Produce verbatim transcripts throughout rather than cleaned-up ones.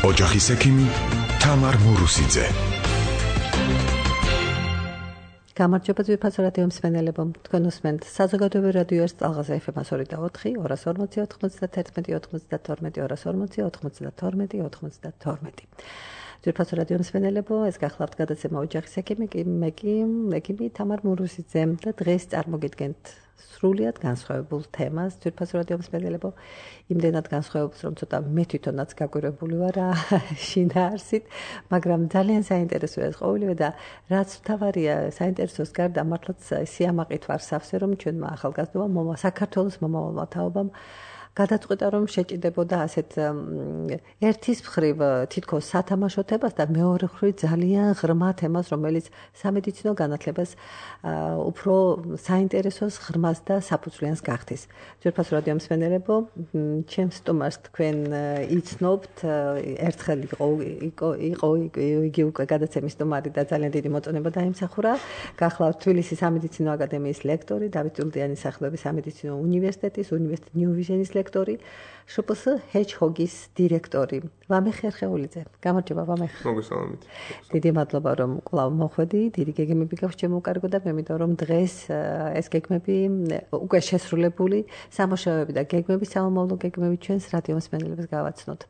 ოჯახის ექიმი თამარ მურუსიძე. გამარჯობა ძვირფასო რადიო მსმენელებო, თქვენ უსმენთ საზოგადოებრივ რადიო ერთ წალღაზე ეფ ემ ორი და ოთხი, ორას ორმოცი, ოთხმოცდათერთმეტი, ოთხმოცდათორმეტი, ორას ორმოცი, ოთხმოცდათორმეტი, ოთხმოცდათორმეტი. ძვირფასო რადიო მსმენელებო, ეს გახლავთ გადაცემა ოჯახის ექიმი, მე კი ექიმი თამარ მურუსიძე და დღეს წარმოგიდგენთ სრულიად განსხვავებულ თემას. ძვირფასო რადიო მსმენელებო, იმდენად განსხვავებულს, რომ ცოტა მე თვითონაც გაგვირებული ვარ შინაარსით, მაგრამ ძალიან საინტერესოა ეს ყოველივე და რაც მთავარია საინტერესოს გარდა მართლაც სიამაყით ვარ სავსე, რომ ჩვენმა ახალგაზრდობამ მომა საქართველოს მომავალმა თაობამ გადაწყვიტა რომ შეჭიდებოდა ასეთ ერთის მხრივ თითქოს სათამაშო თემას და მეორე მხრივ ძალიან ღრმა თემას, რომელიც სამედიცინო განათლებას უფრო საინტერესოს ღრმას და საფუძვლიანს გახდის. ძვირფასო რადიო მსმენელებო, ჩემს სტუმარს თქვენ იცნობთ, ერთხელ იყო იყო იგი უკვე გადაცემის სტუმარი და ძალიან დიდი მოწონება დაიმსახურა. გახლავთ თბილისის სამედიცინო აკადემიის ლექტორი, დავით ჭულდიანის სახელობის სამედიცინო უნივერსიტეტის უნივერსიტეტ ნიუ ვიჟენის ლექტორი, შ პ სი ჰეჯჰოგის დირექტორი ვამეხ ერხეულიძე. გამარჯობა ვამეხ. მოგესალმებით. დიდი მადლობა რომ კვლავ მოხვედი, დიდი გეგმები გაქვს ჩემოუკარგო და მე მინდა რომ დღეს ეს გეგმები უკვე შესრულებული სამუშაოები და გეგმები, სამომავლო გეგმები ჩვენს რადიო მსმენელებს გავაცნოთ.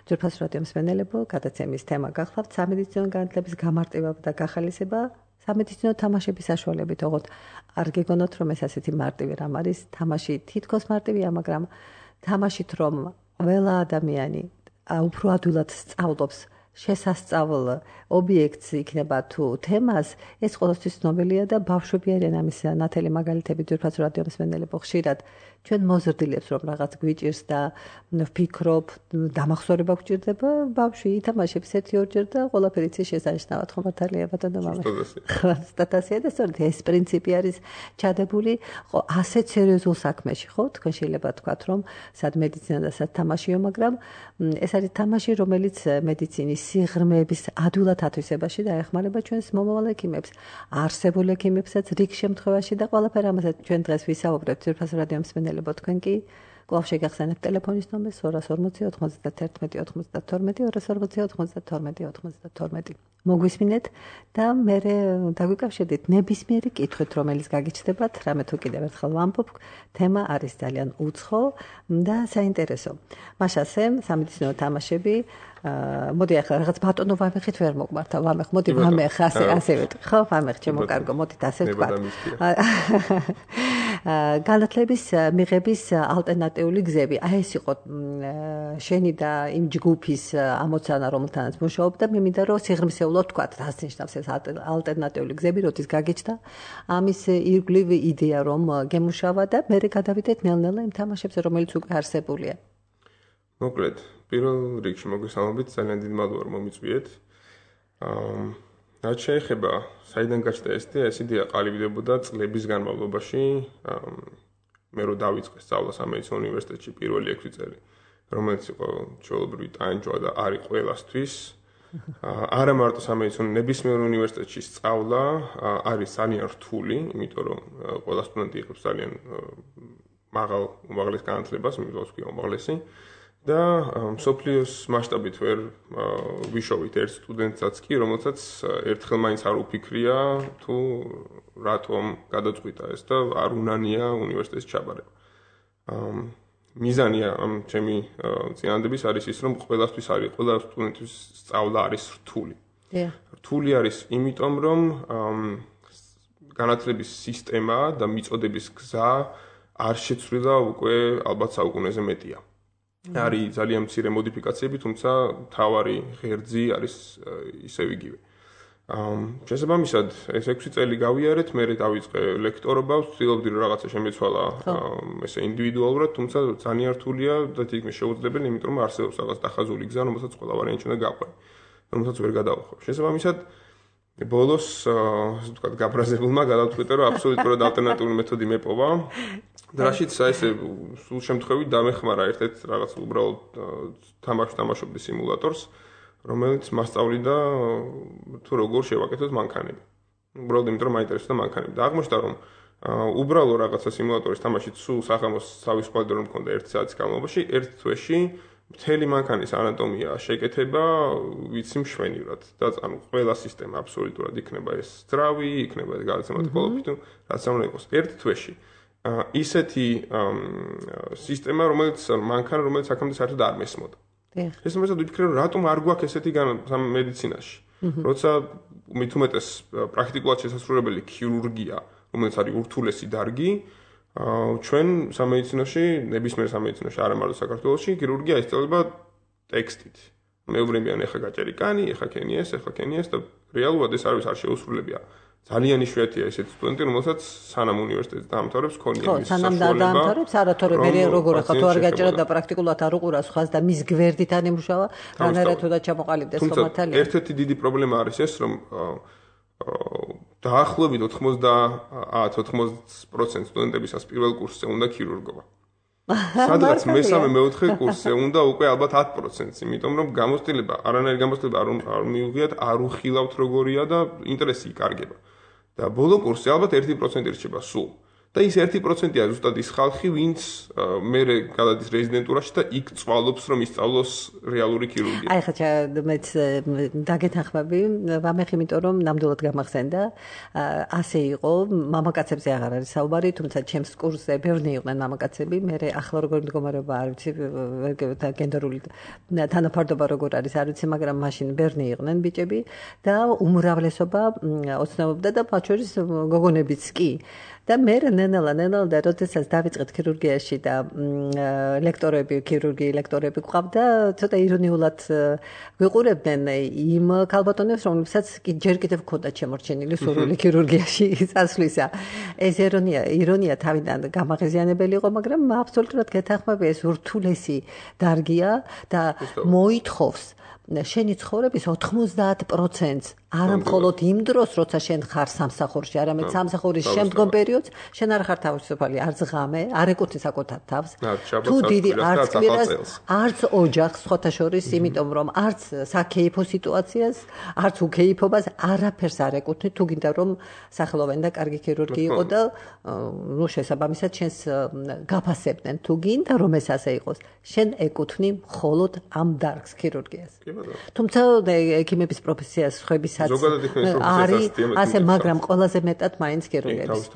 ძვირფასო რადიო მსმენელებო, გადაცემის თემა გახლავთ სამედიცინო განათლების გამარტივება და გახალისება სამედიცინო თამაშების საშუალებით. ოღონდ არ გეგონოთ რომ ეს ასეთი მარტივი რამ არის, თამაში თითქოს მარტივია, მაგრამ თამაშით რომ ყველა ადამიანი უფრო ადვილად სწავლობს შესასწავლ ობიექტს იქნება თუ თემას, ეს ყოველთვის ცნობილია და ბავშვები არიან ამის ნათელი მაგალითები. ძვირფასო რადიო მსმენელებო, ხშირად ჩვენ მოზრდილებს რომ რაღაც გვიჭირს და ვფიქრობ, დამახსოვრება გვჭირდება, ბავშვი ითამაშებს ერთი ორჯერ და ყველაფერი იცის შესანიშნავად. ხომ მართალია ბატონო მამა? სტატასია და სწორედ ეს პრინციპი არის ჩადებული ასეთ სერიოზულ საქმეში, ხო? თქვენ შეიძლება თქვათ რომ სად მედიცინა და სად თამაშიო, მაგრამ ეს არის თამაში, რომელიც მედიცინის სიღრმეების ადვილად ათვისებაში დაეხმარება ჩვენს მომავალ ექიმებს, არსებულ ექიმებსაც რიგ შემთხვევაში და ყველაფერ ამასაც ჩვენ დღეს ვისაუბრებთ. ძვირფასო რადიო მსმენელებო, თქვენ კი კვლავ შეგახსენებთ ტელეფონის ნომერს ორას ორმოცი, ოთხმოცდათერთმეტი, ოთხმოცდათორმეტი, ორას ორმოცი, ოთხმოცდათორმეტი, ოთხმოცდათორმეტი. მოგვისმინეთ და მე დაგვიკავშირდით ნებისმიერი კითხვით, რომელიც გაგიჩნდებათ, რამე თუ კიდევ ერთხელ ვამბობ, თემა არის ძალიან უცხო და საინტერესო. მაშასე სამედიცინო თამაშები, მოდი ახლა რაღაც ბატონო ვამეხით ვერ მოგვართა, ვამეხ, მოდი ვამეხ, ასე ასე ვეთქვი, ხო, ვამეხ, ჩემო კარგო, მოდით ასე ვთქვათ. განათლების მიღების ალტერნატიული გზები. აი ეს იყო შენი და იმ ჯგუფის ამოცანა, რომელთანაც მუშაობ და მე მინდა რომ სიღრმისეულად ვთქვათ, რას ნიშნავს ეს ალტერნატიული გზები, როდის გაგიჩნდა ამის ირგვლივ იდეა რომ გემუშავა და მე გადავიდეთ ნელ-ნელა იმ თამაშებზე, რომელიც უკვე არსებულია. მოკლედ, პირველ რიგში მოგესალმებით, ძალიან დიდი მადლობა რომ მომიწვიეთ. აა რაც შეეხება საიდან გაჩნდა ეს იდეა, ეს იდეა ყალიბდებოდა წლების განმავლობაში. მე რო დავიწყე სწავლა სამედიცინო უნივერსიტეტში პირველი ექვსი წელი, რომელიც იყო ჩვეულებრივი ტანჯვა და არის ყველასთვის. არა მარტო სამედიცინო, ნებისმიერ უნივერსიტეტში სწავლა არის ძალიან რთული, იმიტომ რომ ყველა სტუდენტი იღებს ძალიან მაღალ უმაღლეს განათლებას, მიგვიყვარს ვქი უმაღლესი. და მსოფლიოს მასშტაბით ვერ ვიშოვით ერთ სტუდენტსაც კი, რომელსაც ერთხელ მაინც არ უფიქრია თუ რატომ გადაწყვიტა ეს და არ უნანია უნივერსიტეტის ჩაბარება. მიზანია ამ ჩემი წინადადების არის ის, რომ ყველასთვის არის, ყველა სტუდენტის სწავლა არის რთული. რთული არის იმიტომ, რომ განათლების სისტემა და მიწოდების გზა არ შეცვლილა უკვე ალბათ საუკუნეზე მეტია. არის ძალიან მცირე მოდიფიკაციები, თუმცა მთავარი ღერძი არის ისევ იგივე. შესაბამისად, ეს ექვსი წელი გავიარეთ, მე დავიწყე ლექტორობა, ვცდილობდი რომ რაღაცა შემეცვალა ესე ინდივიდუალურად, თუმცა ძალიან რთულია და თითქმის შეუძლებელი, იმიტომ რომ არსებობს რაღაც დახაზული გზა, რომელსაც ყველა ვარიანტი უნდა გავყვე, რომელსაც ვერ გადავხო. შესაბამისად, ბოლოს, ასე ვთქვათ, გაბრაზებულმა გადავწყვიტე, რომ აბსოლუტურად ალტერნატიული მეთოდი მეპოვა. და რაშიც ესე სულ შემთხვევით დამეხმარა ერთ-ერთ რაღაც უბრალოდ თამაში თამაშობდი სიმულატორს, რომელიც მასწავლიდა თუ როგორ შევაკეთოთ მანქანები. უბრალოდ იმიტომ რომ მაინტერესებდა მანქანები. და აღმოჩნდა რომ უბრალო რაღაცა სიმულატორის თამაშით სულ სახამოს თავის ყვადრო რომ მქონდა ერთი საათის განმავლობაში, ერთ თვეში მთელი მანქანის ანატომია შეკეთება ვიცი მშვენივრად და ანუ ყველა სისტემა აბსოლუტურად იქნება ეს ძრავი, იქნება ეს გადაცემად ყოლობით, რაც უნდა იყოს ერთ თვეში. ისეთი სისტემა, რომელიც მანქანა, რომელიც აქამდე საერთოდ არ მესმოდა. ეს მომეცად ვიფიქრე, რომ რატომ არ გვაქვს ესეთი მედიცინაში. როცა მით უმეტეს პრაქტიკულად შესაძლებელი ქირურგია, რომელიც არის ურთულესი დარგი, ჩვენ სამედიცინოში, ნებისმიერ სამედიცინოში, არა მარტო საქართველოში, ქირურგია ისწავლება ტექსტით. მეუბნებიან ეხა გაჭერი კანი, ეხა ქენი ეს, ეხა ქენი ეს და რეალურად ეს არის არ შეუსრულებია. ძალიან იშვიათია ესეთი სტუდენტი, რომელსაც სანამ უნივერსიტეტს დაამთავრებს, ქონია მის საშუალება. ხო, სანამ დაამთავრებს, არა თორე მე როგორ ახლა თუ არ გაჭერა და პრაქტიკულად არ უყურას ხას და მის გვერდით არ იმუშავა, რანაირად თუ და ჩამოყალიბდეს ხომათალია. ერთ-ერთი დიდი პრობლემა არის ეს, რომ დაახლოებით ოთხმოცდაათ-ოთხმოცდაათი პროცენტი სტუდენტებისას პირველ კურსზე უნდა ქირურგობა. სადღაც მესამე მეოთხე კურსზე უნდა უკვე ალბათ ათ პროცენტს, იმიტომ რომ გამოცდილება, არანაირი გამოცდილება არ მიუღიათ, არ უხილავთ როგორია და ინტერესი იკარგება. და ბოლო კურსზე ალბათ ერთი პროცენტი რჩება სულ. და ის ერთი პროცენტია ზუსტად ის ხალხი, ვინც მერე გადადის რეზიდენტურაში და იქ წვალობს, რომ ისწავლოს რეალური ქირურგია. აი ხა მეც დაგეთანხმები, ვამეხი, იმიტომ რომ ნამდვილად გამახსენდა, ასე იყო, მამაკაცებზე აღარ არის საუბარი, თუმცა ჩემს კურსზე ბევრი იყვნენ მამაკაცები, მერე ახლა როგორ მდგომარეობა არ ვიცი, და გენდერული თანაფარდობა როგორ არის, არ ვიცი, მაგრამ მაშინ ბევრი იყვნენ ბიჭები და უმრავლესობა ოცნებობდა და მათ შორის გოგონებიც კი. და მე ნენელა ნენელა და როდესაც დავიწყეთ ქირურგიაში და ლექტორები, ქირურგი ლექტორები გვყავდა, ცოტა ირონიულად ვიყურებდნენ იმ ქალბატონებს, რომლებსაც ჯერ კიდევ ჰქონდათ შემორჩენილი სურვილი ქირურგიაში წასვლისა. ეს ირონია, ირონია თავიდან გამაღიზიანებელი იყო, მაგრამ აბსოლუტურად გეთანხმები, ეს ურთულესი დარგია და მოითხოვს შენი ცხოვრების ოთხმოცდაათ პროცენტს არა მხოლოდ იმ დროს, როცა შენ ხარ სამსახურში, არამედ სამსახურის შემდგომ პერიოდს, შენ არ ხარ თავისუფალი, არც ღამე, არ ეკუთვნის საკუთარ თავს. თუ დიდი არც კვირას, არც ოჯახს, სხვათა შორის, იმიტომ რომ არც საქეიფო სიტუაციას, არც უქეიფობას არაფერს არ ეკუთვნი, თუ გინდა რომ სახელოვანი და კარგი ქირურგი იყო და ნუ შესაბამისად შენს გაფასებდნენ. თუ გინდა რომ ეს ასე იყოს, შენ ეკუთვნი მხოლოდ ამ დარგს ქირურგიას. თუმცა ექიმების პროფესიას ხვების არის ასე, მაგრამ ყველაზე მეტად მაინც ქირურგების.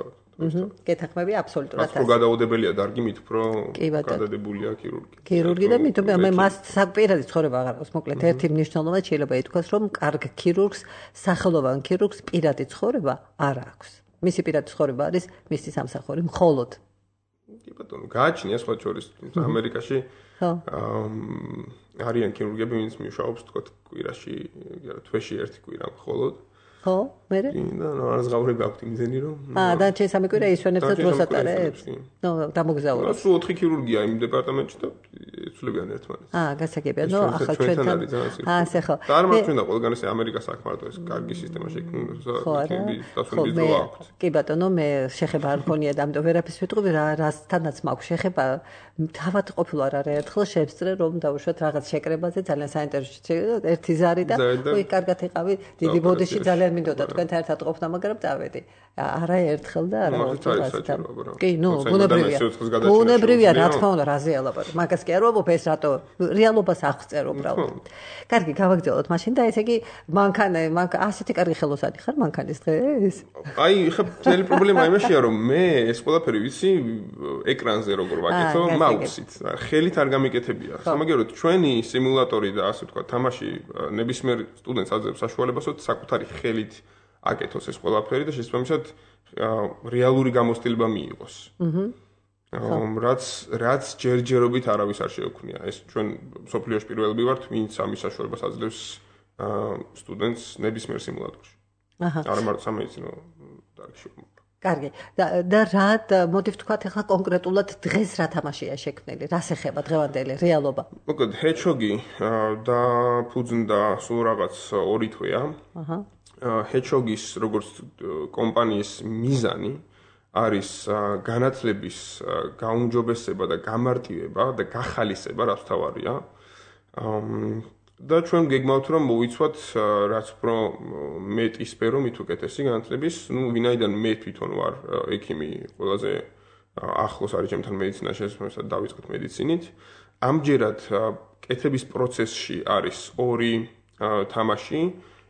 გეთანხმები აბსოლუტურად ასე. გადაუდებელია დარგი მით უფრო გადადებულია ქირურგი. ქირურგი და მით მე მას საკპირადი ცხოვრება აღარ აქვს. მოკლედ ერთი მნიშვნელობა შეიძლება ითქვას, რომ კარგ ქირურგს, სახელოვან ქირურგს პირადი ცხოვრება არ აქვს. მისი პირადი ცხოვრება არის მისი სამსახური მხოლოდ. კი ბატონო, გააჩნია სხვა შორის ამერიკაში. ხო. არიან ქირურგები, ვინც მუშაობს თქო კვირაში, თვეში ერთი კვირა მხოლოდ. ხო, მერე? და რაზღაურები აქვთ იმდენი რომ აა, და ჩემსამე კვირა ისვენებს და დროს ატარებს. ნუ, დამოგზაურებს. სულ ოთხი ქირურგია იმ დეპარტამენტში და იცვლებიან ერთმანეთს. აა, გასაგებია. ნუ, ახლა ჩვენთან აა, ასე ხო. და არ მარჩვენდა ყველგან ეს ამერიკას აქმარტო ეს კარგი სისტემა შექმნილი, იქები დასვენების დრო აქვთ. კი ბატონო, მე შეხება არ მქონია და ამიტომ ვერაფერს ვიტყვი, რასთანაც მაქვს შეხება, თავად ყოფილა რა ერთხელ შევსწრე რომ დავუშვათ რაღაც შეკრებაზე ძალიან საინტერესო ერთი ზარი და ой, კარგად იყავი, დიდი ბოდიში ძალიან მინდოდა თქვენთან ერთად ყოფნა, მაგრამ დავედი. არა ერთხელ და არა ორჯერ. კი, ნუ, ბუნებრივია. ბუნებრივია, რა თქმა უნდა, რაზე ალაპარაკ. მაგას კი არ ვამბობ, ეს რატო რეალობას აღწერ უბრალოდ. კარგი, გავაგრძელოთ მაშინ და ესე იგი მანქანა, მანქანა ასეთი კარგი ხელოსანი ხარ მანქანის დღეს? აი, ხა მთელი პრობლემა იმაშია, რომ მე ეს ყველაფერი ვიცი ეკრანზე როგორ ვაკეთო, მაუსით. ხელით არ გამიკეთებია. სამაგეროდ ჩვენი სიმულატორი და ასე ვთქვა, თამაში ნებისმიერ სტუდენტს აძლევს საშუალებას, რომ საკუთარი ხელით აკეთოს ეს ყველაფერი და შესაბამისად რეალური გამოცდილება მიიღოს. აჰა. რაც რაც ჯერჯერობით არავის არ შეექმნია. ეს ჩვენ სოფლიოში პირველები ვართ, ვინც ამის საშუალებას აძლევს სტუდენტს ნებისმიერ სიმულატორში. აჰა. არა მარტო სამედიცინო დარგში. კარგი. და და რა მოდი ვთქვათ ახლა კონკრეტულად დღეს რა თამაშია შექმნილი? რას ეხება დღევანდელი რეალობა? მოკლედ ჰეჩოგი და ფუძნდა სულ რაღაც ორი თვეა. აჰა. ჰეჩოგის როგორც კომპანიის მიზანი არის განათლების გაუმჯობესება და გამარტივება და გახალისება, რაც თავარია. და ჩვენ გეგმავთ რომ მოვიცვათ რაც უფრო მეტი სფერო, მით უკეთესი განათლების, ну, ვინაიდან მე თვითონ ვარ ექიმი, ყველაზე ახლოს არის ჩემთან მედიცინაში, შესაძლოა დავიწყოთ მედიცინით. ამჯერად კეთების პროცესში არის ორი თამაში.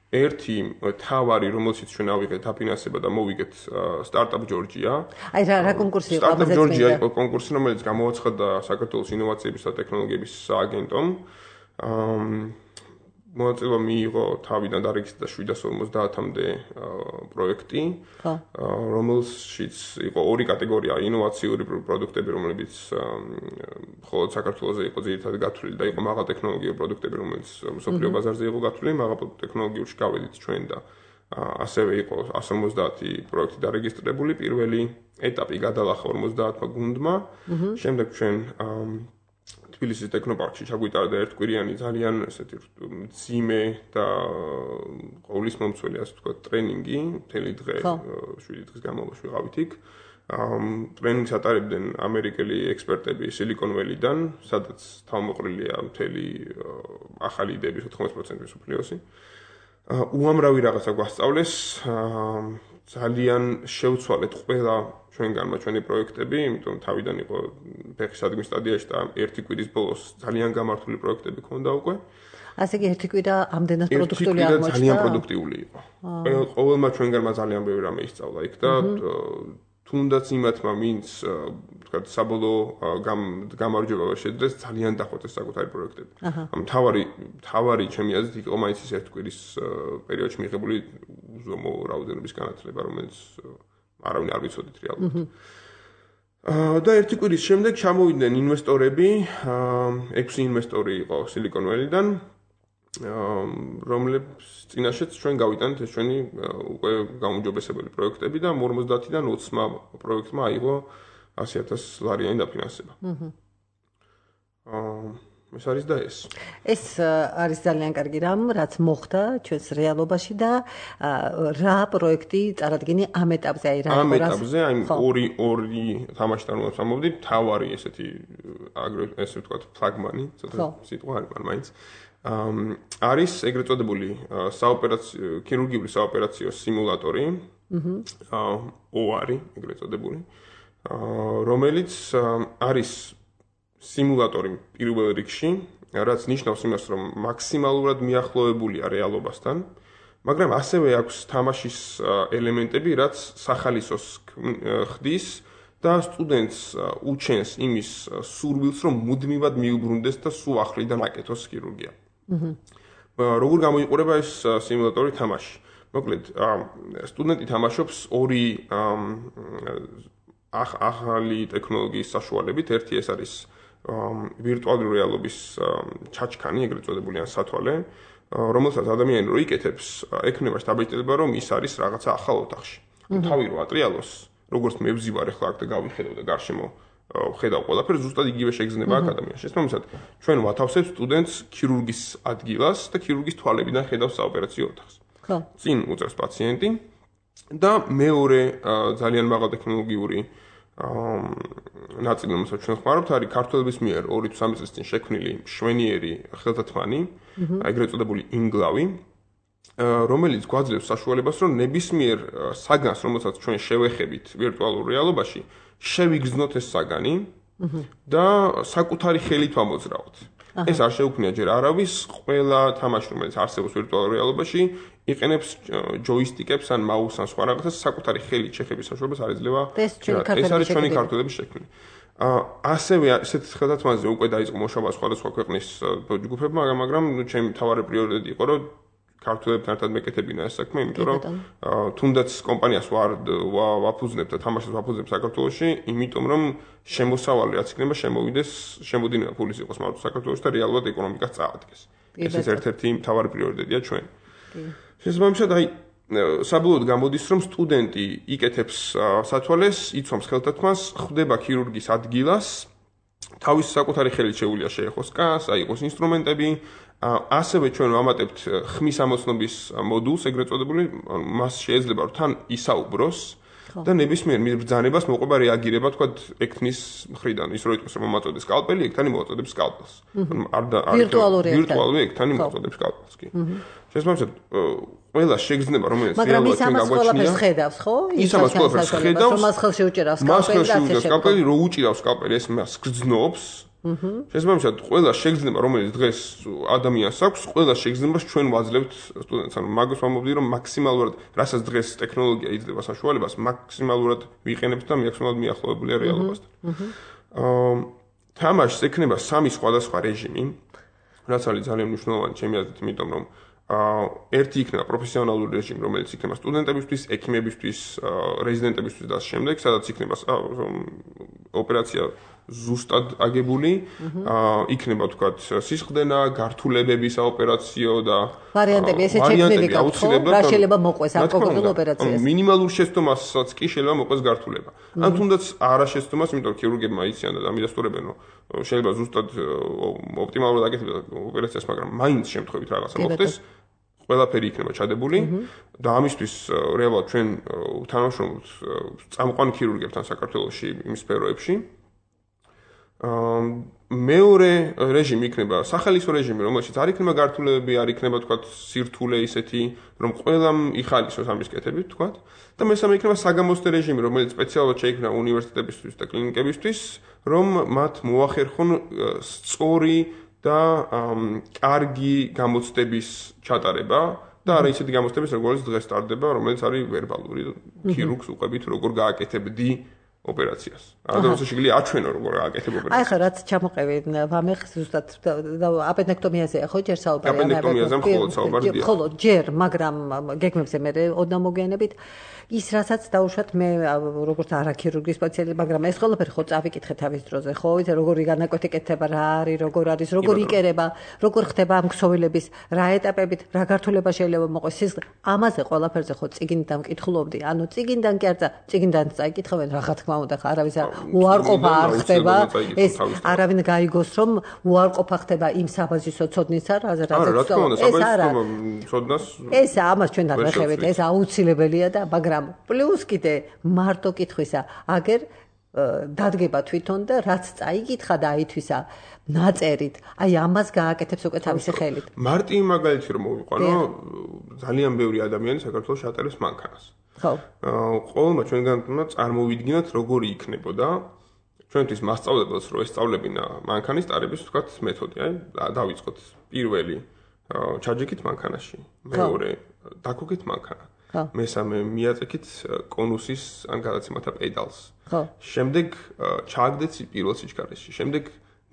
ერთი თავარი, რომელშიც ჩვენ ავიღეთ დაფინანსება და მოვიგეთ სტარტაპ ჯორჯია. აი რა რა კონკურსი იყო? სტარტაპ ჯორჯია იყო კონკურსი, რომელიც გამოაცხადა საქართველოს ინოვაციების და ტექნოლოგიების სააგენტომ. მონაწილეობა მიიღო თავიდან დარეგისტრირდა შვიდას ორმოცდაათამდე პროექტი, რომელშიც იყო ორი კატეგორია: ინოვაციური პროდუქტები, რომლებიც მხოლოდ საქართველოზე იყო ძირითადად გათვლილი და იყო მაღალტექნოლოგიური პროდუქტები, რომელიც მსოფლიო ბაზარზე იყო გათვლილი. მაღალტექნოლოგიურში გავედით ჩვენ და ასევე იყო εκατს ორმოცდაათი პროექტი დარეგისტრირებული. პირველი ეტაპი გადალახა ორმოცდაათმა გუნდმა. შემდეგ ჩვენ თბილისის ტექნოპარკში ჩაგვიტარდა ერთკვირიანი ძალიან ესეთი მძიმე და ყოვლისმომცველი ასე ვთქვათ ტრენინგი, მთელი დღე, შვიდი დღის განმავლობაში ვიყავით იქ. ტრენინგს ატარებდნენ ამერიკელი ექსპერტები Silicon Valley-დან, სადაც თავმოყრილია მთელი ახალი იდეების ოთხმოცდაათი პროცენტი მსოფლიოსი. უამრავი რაღაცა გვასწავლეს, ძალიან შევცვალეთ ყველა ჩვენგანმა ჩვენი პროექტები, იმიტომ თავიდან იყო ფეხის ადგმის სტადიაში და ერთი კვირის ბოლოს ძალიან გამართული პროექტები ქონდა უკვე. ასე იგი ერთი კვირა ამდენად პროდუქტიული აღმოჩნდა. ძალიან პროდუქტიული იყო. ყოველმა ჩვენგანმა ძალიან ბევრი რამე ისწავლა იქ და თუნდაც იმათმა ვინც ვთქვათ საბოლოო გამარჯვება ვერ შეძლეს, ძალიან დახვეწეს საკუთარი პროექტები. ამ თავარი თავარი ჩემი აზრით იყო მაინც ის ერთი კვირის პერიოდში მიღებული უზომო რაოდენობის განათლება, რომელიც არავინ არ ვიცოდით რეალურად. და ერთი კვირის შემდეგ ჩამოვიდნენ ინვესტორები, ექვსი ინვესტორი იყო Silicon Valley-დან, რომლებს წინაშეც ჩვენ გავიტანეთ ეს ჩვენი უკვე გაუმჯობესებელი პროექტები და ორმოცდაათიდან ოცმა პროექტმა აიღო ასი ათასი ლარიანი დაფინანსება. ეს არის და ეს. ეს არის ძალიან კარგი რამ, რაც მოხდა ჩვენს რეალობაში და რა პროექტი წარადგინე ამ ეტაპზე, აი რა ამ ეტაპზე, აი ორი ორი თამაშთან რომ ამოვდით, თავარი ესეთი ესე ვთქვათ ფლაგმანი, ცოტა სიტყვა არის, მაგრამ მაინც არის ეგრეთ წოდებული საოპერაციო ქირურგიული საოპერაციო სიმულატორი, ო არი ეგრეთ წოდებული, რომელიც არის სიმულატორი პირველ რიგში, რაც ნიშნავს იმას, რომ მაქსიმალურად მიახლოებულია რეალობასთან, მაგრამ ასევე აქვს თამაშის ელემენტები, რაც სახალისოს ხდის და სტუდენტს უჩენს იმის სურვილს, რომ მუდმივად მიუბრუნდეს და სულ ახლიდან აკეთოს ქირურგია. როგორ გამოიყურება ეს სიმულატორი თამაში? მოკლედ, სტუდენტი თამაშობს ორი ახალი ტექნოლოგიის საშუალებით, ერთი ეს არის ვირტუალური რეალობის ჩაჩქანი, ეგრეთ წოდებული ან სათვალე, რომელსაც ადამიანი რო იკეთებს, ექნება შთაბეჭდილება, რომ ის არის რაღაცა ახალ ოთახში. თავი რო ატრიალოს, როგორც მე ვზივარ ახლა აქ და გავიხედავ და გარშემო ხედავ ყველაფერს, ზუსტად იგივე შეგრძნება აქ ადამიანში. შესაბამისად, ჩვენ ვათავსებთ სტუდენტს ქირურგის ადგილას და ქირურგის თვალებიდან ხედავს საოპერაციო ოთახს. ხო. წინ უწევს პაციენტი და მეორე ძალიან მაღალტექნოლოგიური ნაწილი, რომელსაც ჩვენ ხმარობთ, არის ქართველების მიერ ორი თუ სამი წლის წინ შექმნილი მშვენიერი ხელთათმანი, ეგრეთ წოდებული ინგლავი, რომელიც გვაძლევს საშუალებას, რომ ნებისმიერ საგანს, რომელსაც ჩვენ შევეხებით ვირტუალურ რეალობაში, შევიგრძნოთ ეს საგანი და საკუთარი ხელით ვამოძრავოთ. ეს არ შეუქმნია ჯერ არავის, ყველა თამაში, რომელიც არსებობს ვირტუალურ რეალობაში, იყენებს ჯოისტიკებს ან მაუსს ან სხვა რაღაცას, საკუთარი ხელით შეხების საშუალებას არ ეძლევა. ეს არის ჩვენი ქართველების შექმნილი. ასევე ესეთ ხელთათმაზე უკვე დაიწყო მუშაობა სხვადასხვა ქვეყნის ჯგუფებმა, მაგრამ ჩემი მთავარი პრიორიტეტი იყო, რომ ქართველებთან ერთად მეკეთებინა ეს საქმე, იმიტომ რომ თუნდაც კომპანიას ვარ ვაფუძნებ და თამაშს ვაფუძნებ საქართველოში, იმიტომ რომ შემოსავალი რაც იქნება შემოვიდეს, შემოდინება ფულის იყოს მარტო საქართველოში და რეალურად ეკონომიკას წაადგეს. ეს ის ერთ-ერთი მთავარი პრიორიტეტია ჩვენ. შესაბამისად, აი საბოლოოდ გამოდის, რომ სტუდენტი იკეთებს სათვალეს, იცვამს ხელთათმას, ხვდება ქირურგის ადგილას, თავის საკუთარი ხელით შეუძლია შეეხოს კანს, აიყოს ინსტრუმენტები, ასევე ჩვენ ვამატებთ ხმის ამოცნობის მოდულს, ეგრეთ წოდებული, მას შეიძლება რომ თან ისაუბროს და ნებისმიერ ბრძანებას მოყვება რეაგირება, თქვა ექთნის მხრიდან, ის რო იტყვის რომ მომაწოდებს სკალპელი, ექთანი მოაწოდებს სკალპელს. არ და ვირტუალური ექთანი მოაწოდებს სკალპელს, კი. შესაბამისად, ყველა შეგრძნება, რომელიც რეალურად ჩვენ გაგვაჩნია. ის ამას ყველაფერს ხედავს, ხო? ის ამას ყველაფერს ხედავს. მას ხელში უჭერავს სკალპელი და ასე სკალპელი, რო უჭირავს სკალპელი, ეს მას გრძნობს შესაბამისად, ყველა შეგრძნება, რომელიც დღეს ადამიანს აქვს, ყველა შეგრძნებას ჩვენ ვაძლევთ სტუდენტს. ანუ მაგას ვამბობდი, რომ მაქსიმალურად, რასაც დღეს ტექნოლოგია იძლევა საშუალებას, მაქსიმალურად ვიყენებთ და მაქსიმალურად მიახლოვებულია რეალობასთან. აა თამაშს ექნება სამი სხვადასხვა რეჟიმი, რაც არის ძალიან მნიშვნელოვანი ჩემი აზრით, იმიტომ რომ აა ერთი იქნება პროფესიონალური რეჟიმი, რომელიც იქნება სტუდენტებისთვის, ექიმებისთვის, რეზიდენტებისთვის და ამ შემდეგ, სადაც იქნება ოპერაცია ზუსტად აგებული, აა იქნება თქვათ სისხლდენა, გართულებების საოპერაციო და ვარიანტები, ესეც შექმნები გაქვთ, რა შეიძლება მოყვეს ამ კონკრეტულ ოპერაციას. მინიმალურ შეცდომასაც კი შეიძლება მოყვეს გართულება. ან თუნდაც არა შეცდომას, იმიტომ რომ ქირურგებმა იციან და ამიდასტურებენ, რომ შეიძლება ზუსტად ოპტიმალურად აკეთებდეს ოპერაციას, მაგრამ მაინც შემთხვევით რაღაცა მოხდეს. ყველაფერი იქნება ჩადებული და ამისთვის რეალურად ჩვენ თანამშრომლობთ წამყვან ქირურგებთან საქართველოში იმ სფეროებში. აა მეორე რეჟიმი იქნება სახალისო რეჟიმი, რომელშიც არ იქნება გართულებები, არ იქნება თქვათ სირთულე ისეთი, რომ ყველამ იხალისოს ამის კეთებით, თქვათ. და მესამე იქნება საგამოცდე რეჟიმი, რომელიც სპეციალურად შეიქმნა უნივერსიტეტებისთვის და კლინიკებისთვის, რომ მათ მოახერხონ სწორი და კარგი გამოცდების ჩატარება და არა ისეთი გამოცდების, როგორც დღეს ტარდება, რომელიც არის ვერბალური. ქირურგს უყვებით, როგორ გააკეთებდი ოპერაციას. ანუ როცა შეგვიძლია აჩვენო როგორ გააკეთებ ოპერაციას. აი ხა რაც ჩამოყევი ვამეხ ზუსტად აპენდექტომიაზე ხო ჯერ საუბარი ამ აპენდექტომიაზე მხოლოდ საუბარია. მხოლოდ ჯერ, მაგრამ გეგმებზე მე უნდა მოგვიანებით ის რასაც დაუშვათ მე როგორც არაქირურგის სპეციალისტი, მაგრამ ეს ყველაფერი ხო წავიკითხე თავის დროზე, ხო, იცი როგორი განაკვეთი კეთება რა არის, როგორ არის, როგორ იკერება, როგორ ხდება ამ ქსოვილების, რა ეტაპებით, რა გართულება შეიძლება მოყვეს სისხლი. ამაზე ყველაფერზე ხო წიგნიდან მკითხულობდი. ანუ წიგნიდან კი არცა, წიგნიდან წაიკითხავენ, რა თქმა უნდა, ხა არავის უარყოფა არ ხდება. ეს არავინ გაიგოს, რომ უარყოფა ხდება იმ საბაზისო ცოდნისა, რაზეც ეს არა. ცოდნას ეს ამას ჩვენ დავეხევით, ეს აუცილებელია და მაგრამ პლუს კიდე მარტო კითხვისა, აგერ დადგება თვითონ და რაც წაიკითხა და აითვისა ნაწერით, აი ამას გააკეთებს უკვე თავისი ხელით. მარტივი მაგალითი რომ მოვიყვანო, ძალიან ბევრი ადამიანი საქართველოს ატარებს მანქანას. ხო. ყოველმა ჩვენგანმა წარმოვიდგინოთ როგორი იქნებოდა ჩვენთვის მასწავლებელს რომ ესწავლებინა მანქანის ტარების თქვათ მეთოდი, აი დავიწყოთ პირველი ჩაჯექით მანქანაში, მეორე დაგოგეთ მანქანა. მესამე მიაწექით კონუსის ან გადაცემათა პედალს. შემდეგ ჩააგდეთ პირველ სიჩქარეში. შემდეგ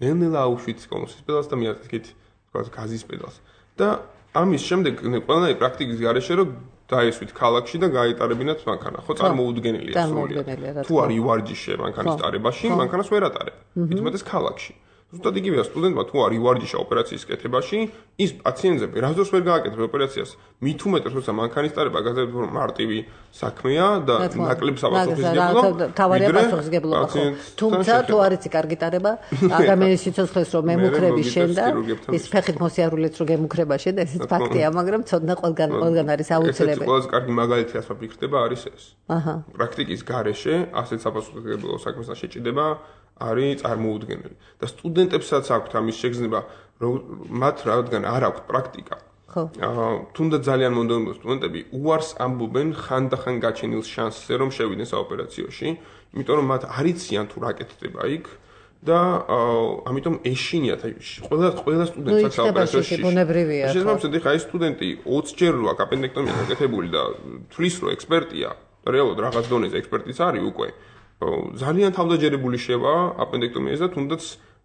ნელ-ნელა აუშვით კონუსის პედალს და მიაწექით თქვათ გაზის პედალს. და ამის შემდეგ ყველანაირი პრაქტიკის გარეშე რომ დაესვით ქალაქში და გაეტარებინათ მანქანა. ხო წარმოუდგენელია სრულად. თუ არ ივარჯიშე მანქანის ტარებაში, მანქანას ვერ ატარებ. თუმცა ქალაქში. ზუსტად იგივეა სტუდენტმა თუ არ ივარჯიშა ოპერაციის კეთებაში, ის პაციენტზე რას დროს ვერ გააკეთებს ოპერაციას, მით უმეტეს როცა მანქანის ტარება გაზრდილი მარტივი საქმეა და ნაკლებ საპასუხისმგებლო. თავარია პასუხისმგებლობა ხო. თუმცა თუ არ იცი კარგი ტარება, ადამიანის სიცოცხლეს რომ ემუქრები შენ და ის ფეხით მოსიარულეც რომ გემუქრება შენ და ესეც ფაქტია, მაგრამ ცოდნა ყველგან ყველგან არის აუცილებელი. ეს ყველაზე კარგი მაგალითი ასე ვფიქრდება არის ეს. აჰა. პრაქტიკის გარეშე ასეთ საპასუხისმგებლო საქმესთან შეჭიდება არის წარმოუდგენელი და სტუდენტებსაც აქვთ ამის შეგრძნება მათ რადგან არ აქვთ პრაქტიკა. ხო. აა თუნდაც ძალიან მომდევნო სტუდენტები უარს ამბობენ ხანდახან გაჩენილ შანსზე რომ შევიდნენ საოპერაციოში, იმიტომ რომ მათ არ იციან თუ რა კეთდება იქ და ამიტომ ეშინიათ აი ყველა ყველა სტუდენტს აქვს საოპერაციოში. ბუნებრივია. შესაბამისად ხა ეს სტუდენტი ოცი ჯერ რო აქვს აპენდექტომია გაკეთებული და თვლის რო ექსპერტია, რეალურად რაღაც დონეზე ექსპერტიც არის უკვე. ძალიან თავდაჯერებული შევა აპენდექტომიაზე და თუნდაც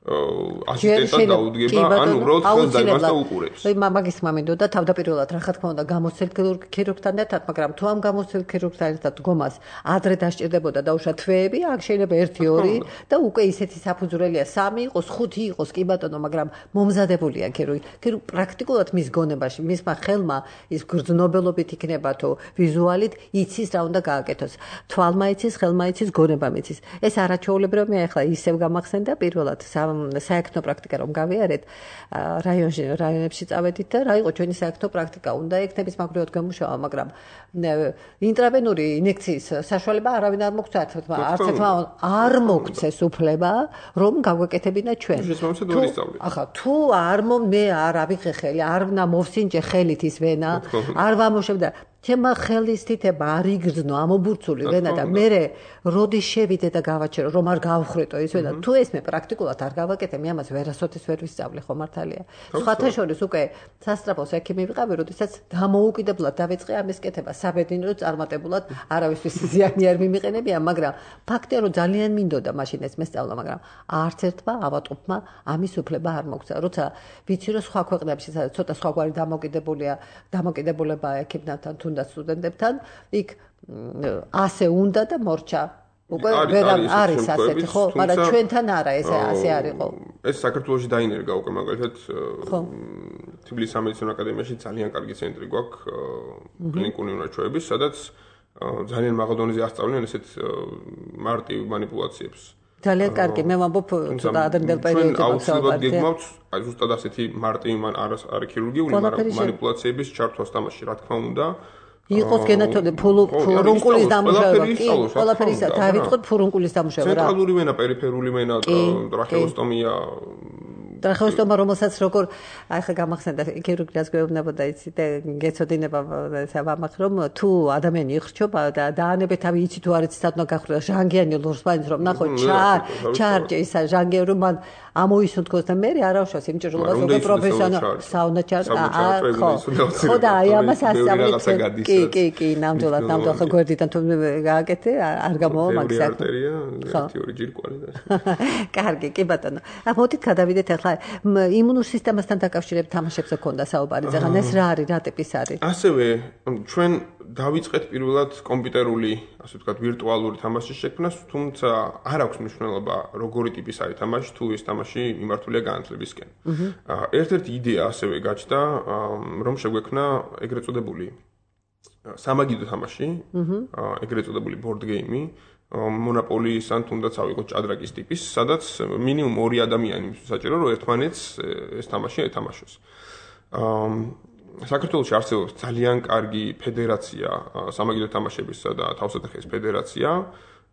ასისტენტად დაუდგება, ანუ უბრალოდ ხელს დაიმას და უყურებს. აი მაგის მამინდოდა თავდაპირველად რა თქმა უნდა გამოცდილ ქირურგთან ერთად, მაგრამ თუ ამ გამოცდილ ქირურგთან ერთად გომას ადრე დასჭირდებოდა დაუშვა თვეები, აქ შეიძლება ერთი ორი და უკვე ისეთი საფუძვლელია სამი იყოს, ხუთი იყოს, კი ბატონო, მაგრამ მომზადებულია ქირურგი. ქირურგი პრაქტიკულად მის გონებაში, მისმა ხელმა ის გრძნობელობით იქნება თუ ვიზუალით იცის რა უნდა გააკეთოს. თვალმა იცის, ხელმა იცის, გონებამ იცის. ეს არაჩვეულებრივია, ახლა ისევ გამახსენდა პირველად საერთო პრაქტიკა რომ გავიარეთ რაიონში რაიონებში წავედით და რა იყო ჩვენი საერთო პრაქტიკა უნდა ექნების მაგრივად გამუშავა მაგრამ ინტრავენური ინექციის საშუალება არავინ არ მოგცა არც ერთმა არ მოგცეს უფლება რომ გავაკეთებინა ჩვენ ახლა თუ არ მე არ ავიღე ხელი არ უნდა მოვსინჯე ხელით ის ვენა არ ვამოშევდა ჩემმა ხელის თითება არ იგრძნო ამობურცული ვენა და მე როდის შევიდე და გავაჩერო რომ არ გავხრეტო ის ვენა თუ ეს მე პრაქტიკულად არ გავაკეთე მე ამას ვერასოდეს ვერ ვისწავლე ხო მართალია სხვათა შორის უკვე სასწრაფოს ექიმი ვიყავი როდესაც დამოუკიდებლად დავიწყე ამის კეთება საბედნიერო წარმატებულად არავისთვის ზიანი არ მიმიყენებია მაგრამ ფაქტია რომ ძალიან მინდოდა მაშინ ეს მესწავლა მაგრამ არც ერთმა ავატყოფმა ამის უფლება არ მოგცა როცა ვიცი რომ სხვა ქვეყნებში სადაც ცოტა სხვაგვარი დამოკიდებულია დამოკიდებულება ექიმთან თუნდაც სტუდენტებთან იქ ასე უნდა და მორჩა უკვე ვერ არის ასეთი ხო მაგრამ ჩვენთან არა ეს ასე არ იყო ეს საქართველოში დაინერგა უკვე მაგალითად თბილისის სამედიცინო აკადემიაში ძალიან კარგი ცენტრი გვაქვს კლინიკური უნარჩვევების სადაც ძალიან მაღალ დონეზე ასწავლიან ესეთ მარტივ манипуляციებს ძალიან კარგი მე ვამბობ ცოტა ადრინდელ პერიოდში აუცილებლად გეგმავთ აი ზუსტად ასეთი მარტივი არის ქირურგიული მაგრამ манипуляციების ჩართვას თამაში რა თქმა უნდა იყოს გენათონე ფურუნკულის დამუშავება კი ყველაფერი ისა დავიწყოთ ფურუნკულის დამუშავება რა ცენტრალური ვენა პერიფერული ვენა ტრახეოსტომია ტრახეოსტომა რომელსაც როგორ აი ხა გამახსენდა ქირურგიას გვეუბნებოდა იცი და გეცოდინება საბამახ რომ თუ ადამიანი იხრჩობა და დაანებე თავი იცი თუ არ იცი სად უნდა გახრდა ჟანგიანი ლურსპაინს რომ ნახო ჩარ ჩარჯე ისა ჟანგე რომ მან ამოისუნთქოს და მე არ ავშავს იმ ჭრილობას უკვე პროფესიონალ საუნა ჩარ ხო ხო და აი ამას ასწავლეთ კი კი კი ნამდვილად ნამდვილად ხო გვერდიდან თუ გააკეთე არ გამოვა მაგ საქმე ერთი ორი ჯირკვალი და კარგი კი ბატონო ა მოდით გადავიდეთ ახლა იმუნურ სისტემასთან დაკავშირებით თამაშებზე ქონდა საუბარი ზაღან ეს რა არის რა ტიპის არის ასევე ჩვენ დავიწყეთ პირველად კომპიუტერული ასე ვთქვათ ვირტუალური თამაშის შექმნას თუმცა არ აქვს მნიშვნელობა როგორი ტიპის არის თამაში თუ ეს თამაში მიმართულია განათლებისკენ ერთ-ერთი იდეა ასევე გაჩნდა რომ შეგვექმნა ეგრეთ წოდებული სამაგიდო თამაში ეგრეთ წოდებული board game მონოპოლის ან თუნდაც ავიღოთ ჭადრაკის ტიპის, სადაც მინიმუმ ორი ადამიანი საჭირო, რომ ერთმანეთს ეს თამაში ეთამაშოს. საქართველოში არსებობს ძალიან კარგი ფედერაცია სამაგიდო თამაშებისა და თავსატეხის ფედერაცია,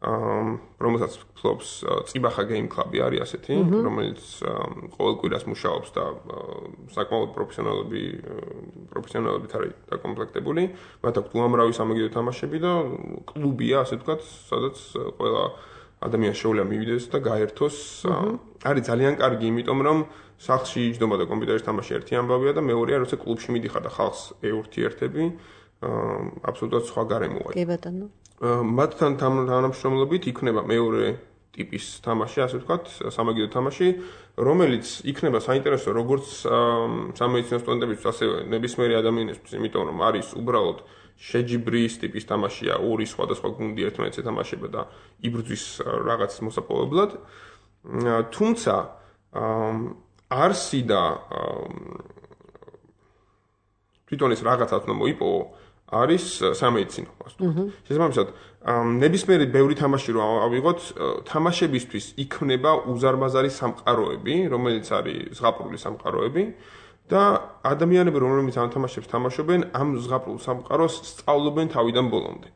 რომელსაც ფლობს წიბახა Game Club-ი არის ასეთი, რომელიც ყოველ კვირას მუშაობს და საკმაოდ პროფესიონალები პროფესიონალებით არის დაკომპლექტებული. მათ აქვს უამრავი სამაგიდო თამაშები და კლუბია, ასე ვთქვათ, სადაც ყველა ადამიანი შეუძლია მივიდეს და გაერთოს. არის ძალიან კარგი, იმიტომ რომ სახლში იჯდომა და კომპიუტერის თამაში ერთი ამბავია და მეორეა, როცა კლუბში მიდიხარ და ხალხს ეურთიერთები, აბსოლუტურად სხვა გარემოა. კი ბატონო. მათთან თანამშრომლობით იქნება მეორე ტიპის თამაში, ასე ვთქვათ, სამაგიდო თამაში, რომელიც იქნება საინტერესო როგორც სამედიცინო სტუდენტებისთვის, ასევე ნებისმიერი ადამიანისთვის, იმიტომ რომ არის უბრალოდ შეჯიბრის ტიპის თამაშია, ორი სხვადასხვა გუნდი ერთმანეთს ეთამაშება და იბრძვის რაღაც მოსაპოვებლად. თუმცა არსი და თვითონ ეს რაღაცაც უნდა მოიპოვო არის სამედიცინო ასტუდენტი. შესაბამისად, ნებისმიერი ბევრი თამაში რო ავიღოთ, თამაშებისთვის იქნება უზარმაზარი სამყაროები, რომელიც არის ზღაპრული სამყაროები და ადამიანები, რომლებიც ამ თამაშებს თამაშობენ, ამ ზღაპრულ სამყაროს სწავლობენ თავიდან ბოლომდე.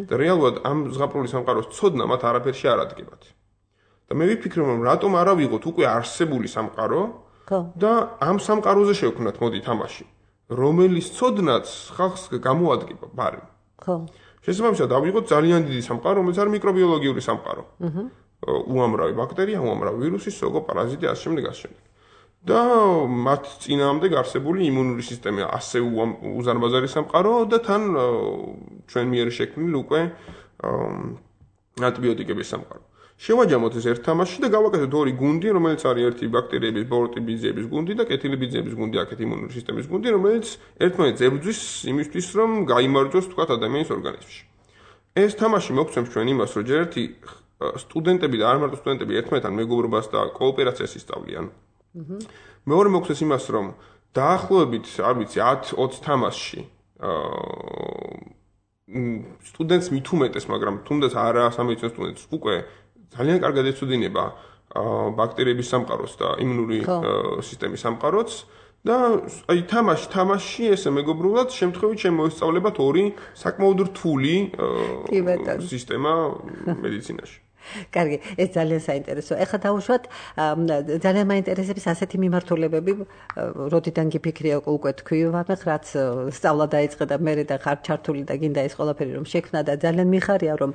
და რეალურად ამ ზღაპრული სამყაროს ცოდნა მათ არაფერში არ ადგებათ. და მე ვიფიქრე, რომ რატომ არ ავიღოთ უკვე არსებული სამყარო და ამ სამყაროზე შევქმნათ მოდი თამაში. რომელიც ცოდნაც ხალხს გამოადგება ბარემ. ხო. შესაბამისად, ავიღოთ ძალიან დიდი სამყარო, რომელიც არის მიკრობიოლოგიური სამყარო. აჰა. უამრავი ბაქტერია, უამრავი ვირუსი, სოგო, პარაზიტი, ასე შემდეგ, ასე შემდეგ. და მათ წინააღმდეგ არსებული იმუნური სისტემა ასე უზარმაზარი სამყარო და თან ჩვენ მიერ შექმნილი უკვე ანტიბიოტიკების სამყარო. შევაჯამოთ ეს ერთ თამაში და გავაკეთოთ ორი გუნდი, რომელიც არის ერთი ბაქტერიების, ბოროტიბიზების გუნდი და კეთილიბიძეების გუნდი, აქეთ იმუნური სისტემის გუნდი, რომელიც ერთმანეთს ებრძვის იმისთვის, რომ გაიმარჯვოს თქვათ ადამიანის ორგანიზმში. ეს თამაში მოგცემს ჩვენ იმას, რომ ჯერ ერთი სტუდენტები და არ მარტო სტუდენტები ერთმანეთთან მეგობრობას და კოოპერაციას ისწავლიან. მეორე მოგცემს იმას, რომ დაახლოებით, არ ვიცი, ათი ოცი თამაშში სტუდენტს მithumetes, მაგრამ თუნდაც არა სამედიცინო სტუდენტს უკვე ძალიან კარგად ეცოდინება ბაქტერიების სამყაროს და იმუნური სისტემის სამყაროც და აი თამაში თამაში ესე მეგობრულად შემთხვევით შემოესწავლებათ ორი საკმაოდ რთული სისტემა მედიცინაში. კარგი, ეს ძალიან საინტერესო. ეხლა დავუშვათ ძალიან მაინტერესებს ასეთი მიმართულებები, როდიდან გიფიქრია უკვე თქვი, ვამეხ რაც სწავლა დაიწყე და მე და ხარ ჩართული და გინდა ეს ყველაფერი რომ შექმნა და ძალიან მიხარია რომ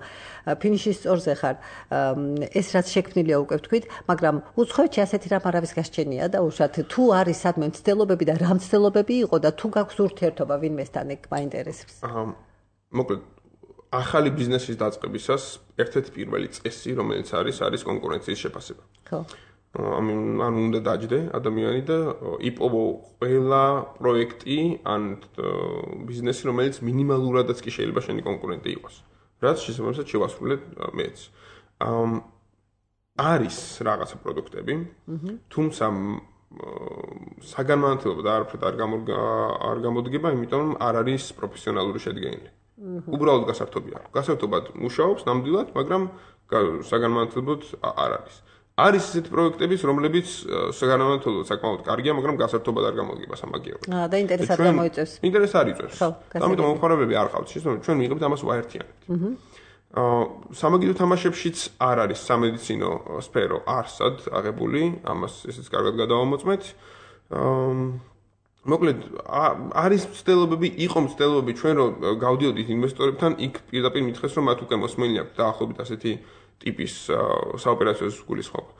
ფინიშის სწორზე ხარ. ეს რაც შექმნილია უკვე თქვით, მაგრამ უცხოეთში ასეთი რამ არავის გასჩენია და უშათ თუ არის სადმე მცდელობები და რა მცდელობები იყო და თუ გაქვს ურთიერთობა ვინმესთან ეგ მაინტერესებს. მოკლედ ახალი ბიზნესის დაწყებისას ერთ-ერთი პირველი წესი, რომელიც არის, არის კონკურენციის შეფასება. ხო. ანუ უნდა დაჯდე ადამიანი და იპოვო ყველა პროექტი ან ბიზნესი, რომელიც მინიმალურადაც კი შეიძლება შენი კონკურენტი იყოს. რაც შესაბამისად შევასრულებ მეც. არის რაღაცა პროდუქტები, თუმცა საგანმანათლებლო და არაფრად არ გამოდგება, იმიტომ რომ არ არის პროფესიონალური შედგენილი. უბრალოდ გასართობია. გასართობად მუშაობს ნამდვილად, მაგრამ საგანმანათლებლოდ არ არის. არის ისეთი პროექტები, რომლებიც საგანმანათლებლოდ საკმაოდ კარგია, მაგრამ გასართობად არ გამოდგება სამაგიეროდ. აა და ინტერესად გამოიწევს. ინტერესი არ იწევს. ამიტომ მომხმარებლები არ ყავთ, შესაძლოა ჩვენ მიიღებთ ამას ვაერთიანებთ. აა სამაგიერო თამაშებშიც არ არის სამედიცინო სფერო არსად აღებული, ამას ესეც კარგად გადავამოწმეთ. აა მოკლედ არის მცდელობები, იყო მცდელობები ჩვენ რომ გავდიოდით ინვესტორებთან, იქ პირდაპირ მითხეს რომ მათ უკვე მოსმენილი აქვს დაახლოებით ასეთი ტიპის საოპერაციო გულისხმობა.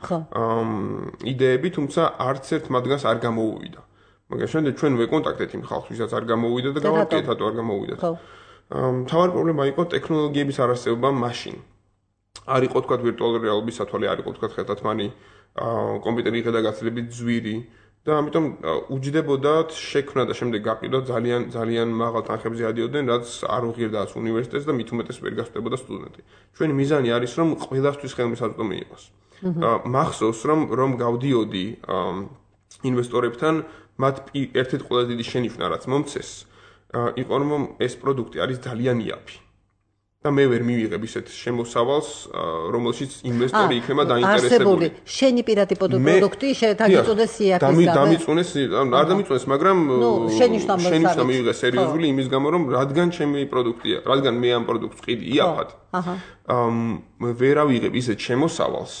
იდეები, თუმცა არც ერთ მათგანს არ გამოუვიდა. მაგრამ შემდეგ ჩვენ ვეკონტაქტეთ იმ ხალხს, ვისაც არ გამოუვიდა და გავაკეთეთ, რატო არ გამოუვიდათ. მთავარი პრობლემა იყო ტექნოლოგიების არარსებობა მაშინ. არ იყო თქვა ვირტუალური რეალობის სათვალე, არ იყო თქვა ხელთათმანი კომპიუტერი იღე და გაცილებით ძვირი. და ამიტომ უჯდებოდათ შექმნა და შემდეგ გაყიდვა ძალიან ძალიან მაღალ თანხებზე ადიოდნენ, რაც არ უღირდათ უნივერსიტეტს და მით უმეტეს ვერ გასწდებოდა სტუდენტი. ჩვენი მიზანი არის, რომ ყველასთვის ხელმისაწვდომი იყოს. მახსოვს, რომ რომ გავდიოდი ინვესტორებთან, მათ ერთ-ერთი ყველაზე დიდი შენიშვნა, რაც მომცეს, იყო რომ ეს პროდუქტი არის ძალიან იაფი. და მე ვერ მივიღებ ისეთ შემოსავალს, რომელშიც ინვესტორი იქნება დაინტერესებული. შენი პირადი პროდუქტი შეთაგიწოდეს იაფის და დამიწუნეს, არ დამიწუნეს, მაგრამ შენიშვნა მივიღე სერიოზული იმის გამო, რომ რადგან ჩემი პროდუქტია, რადგან მე ამ პროდუქტს ყიდი იაფად. აჰა. ვერ ავიღებ ისეთ შემოსავალს,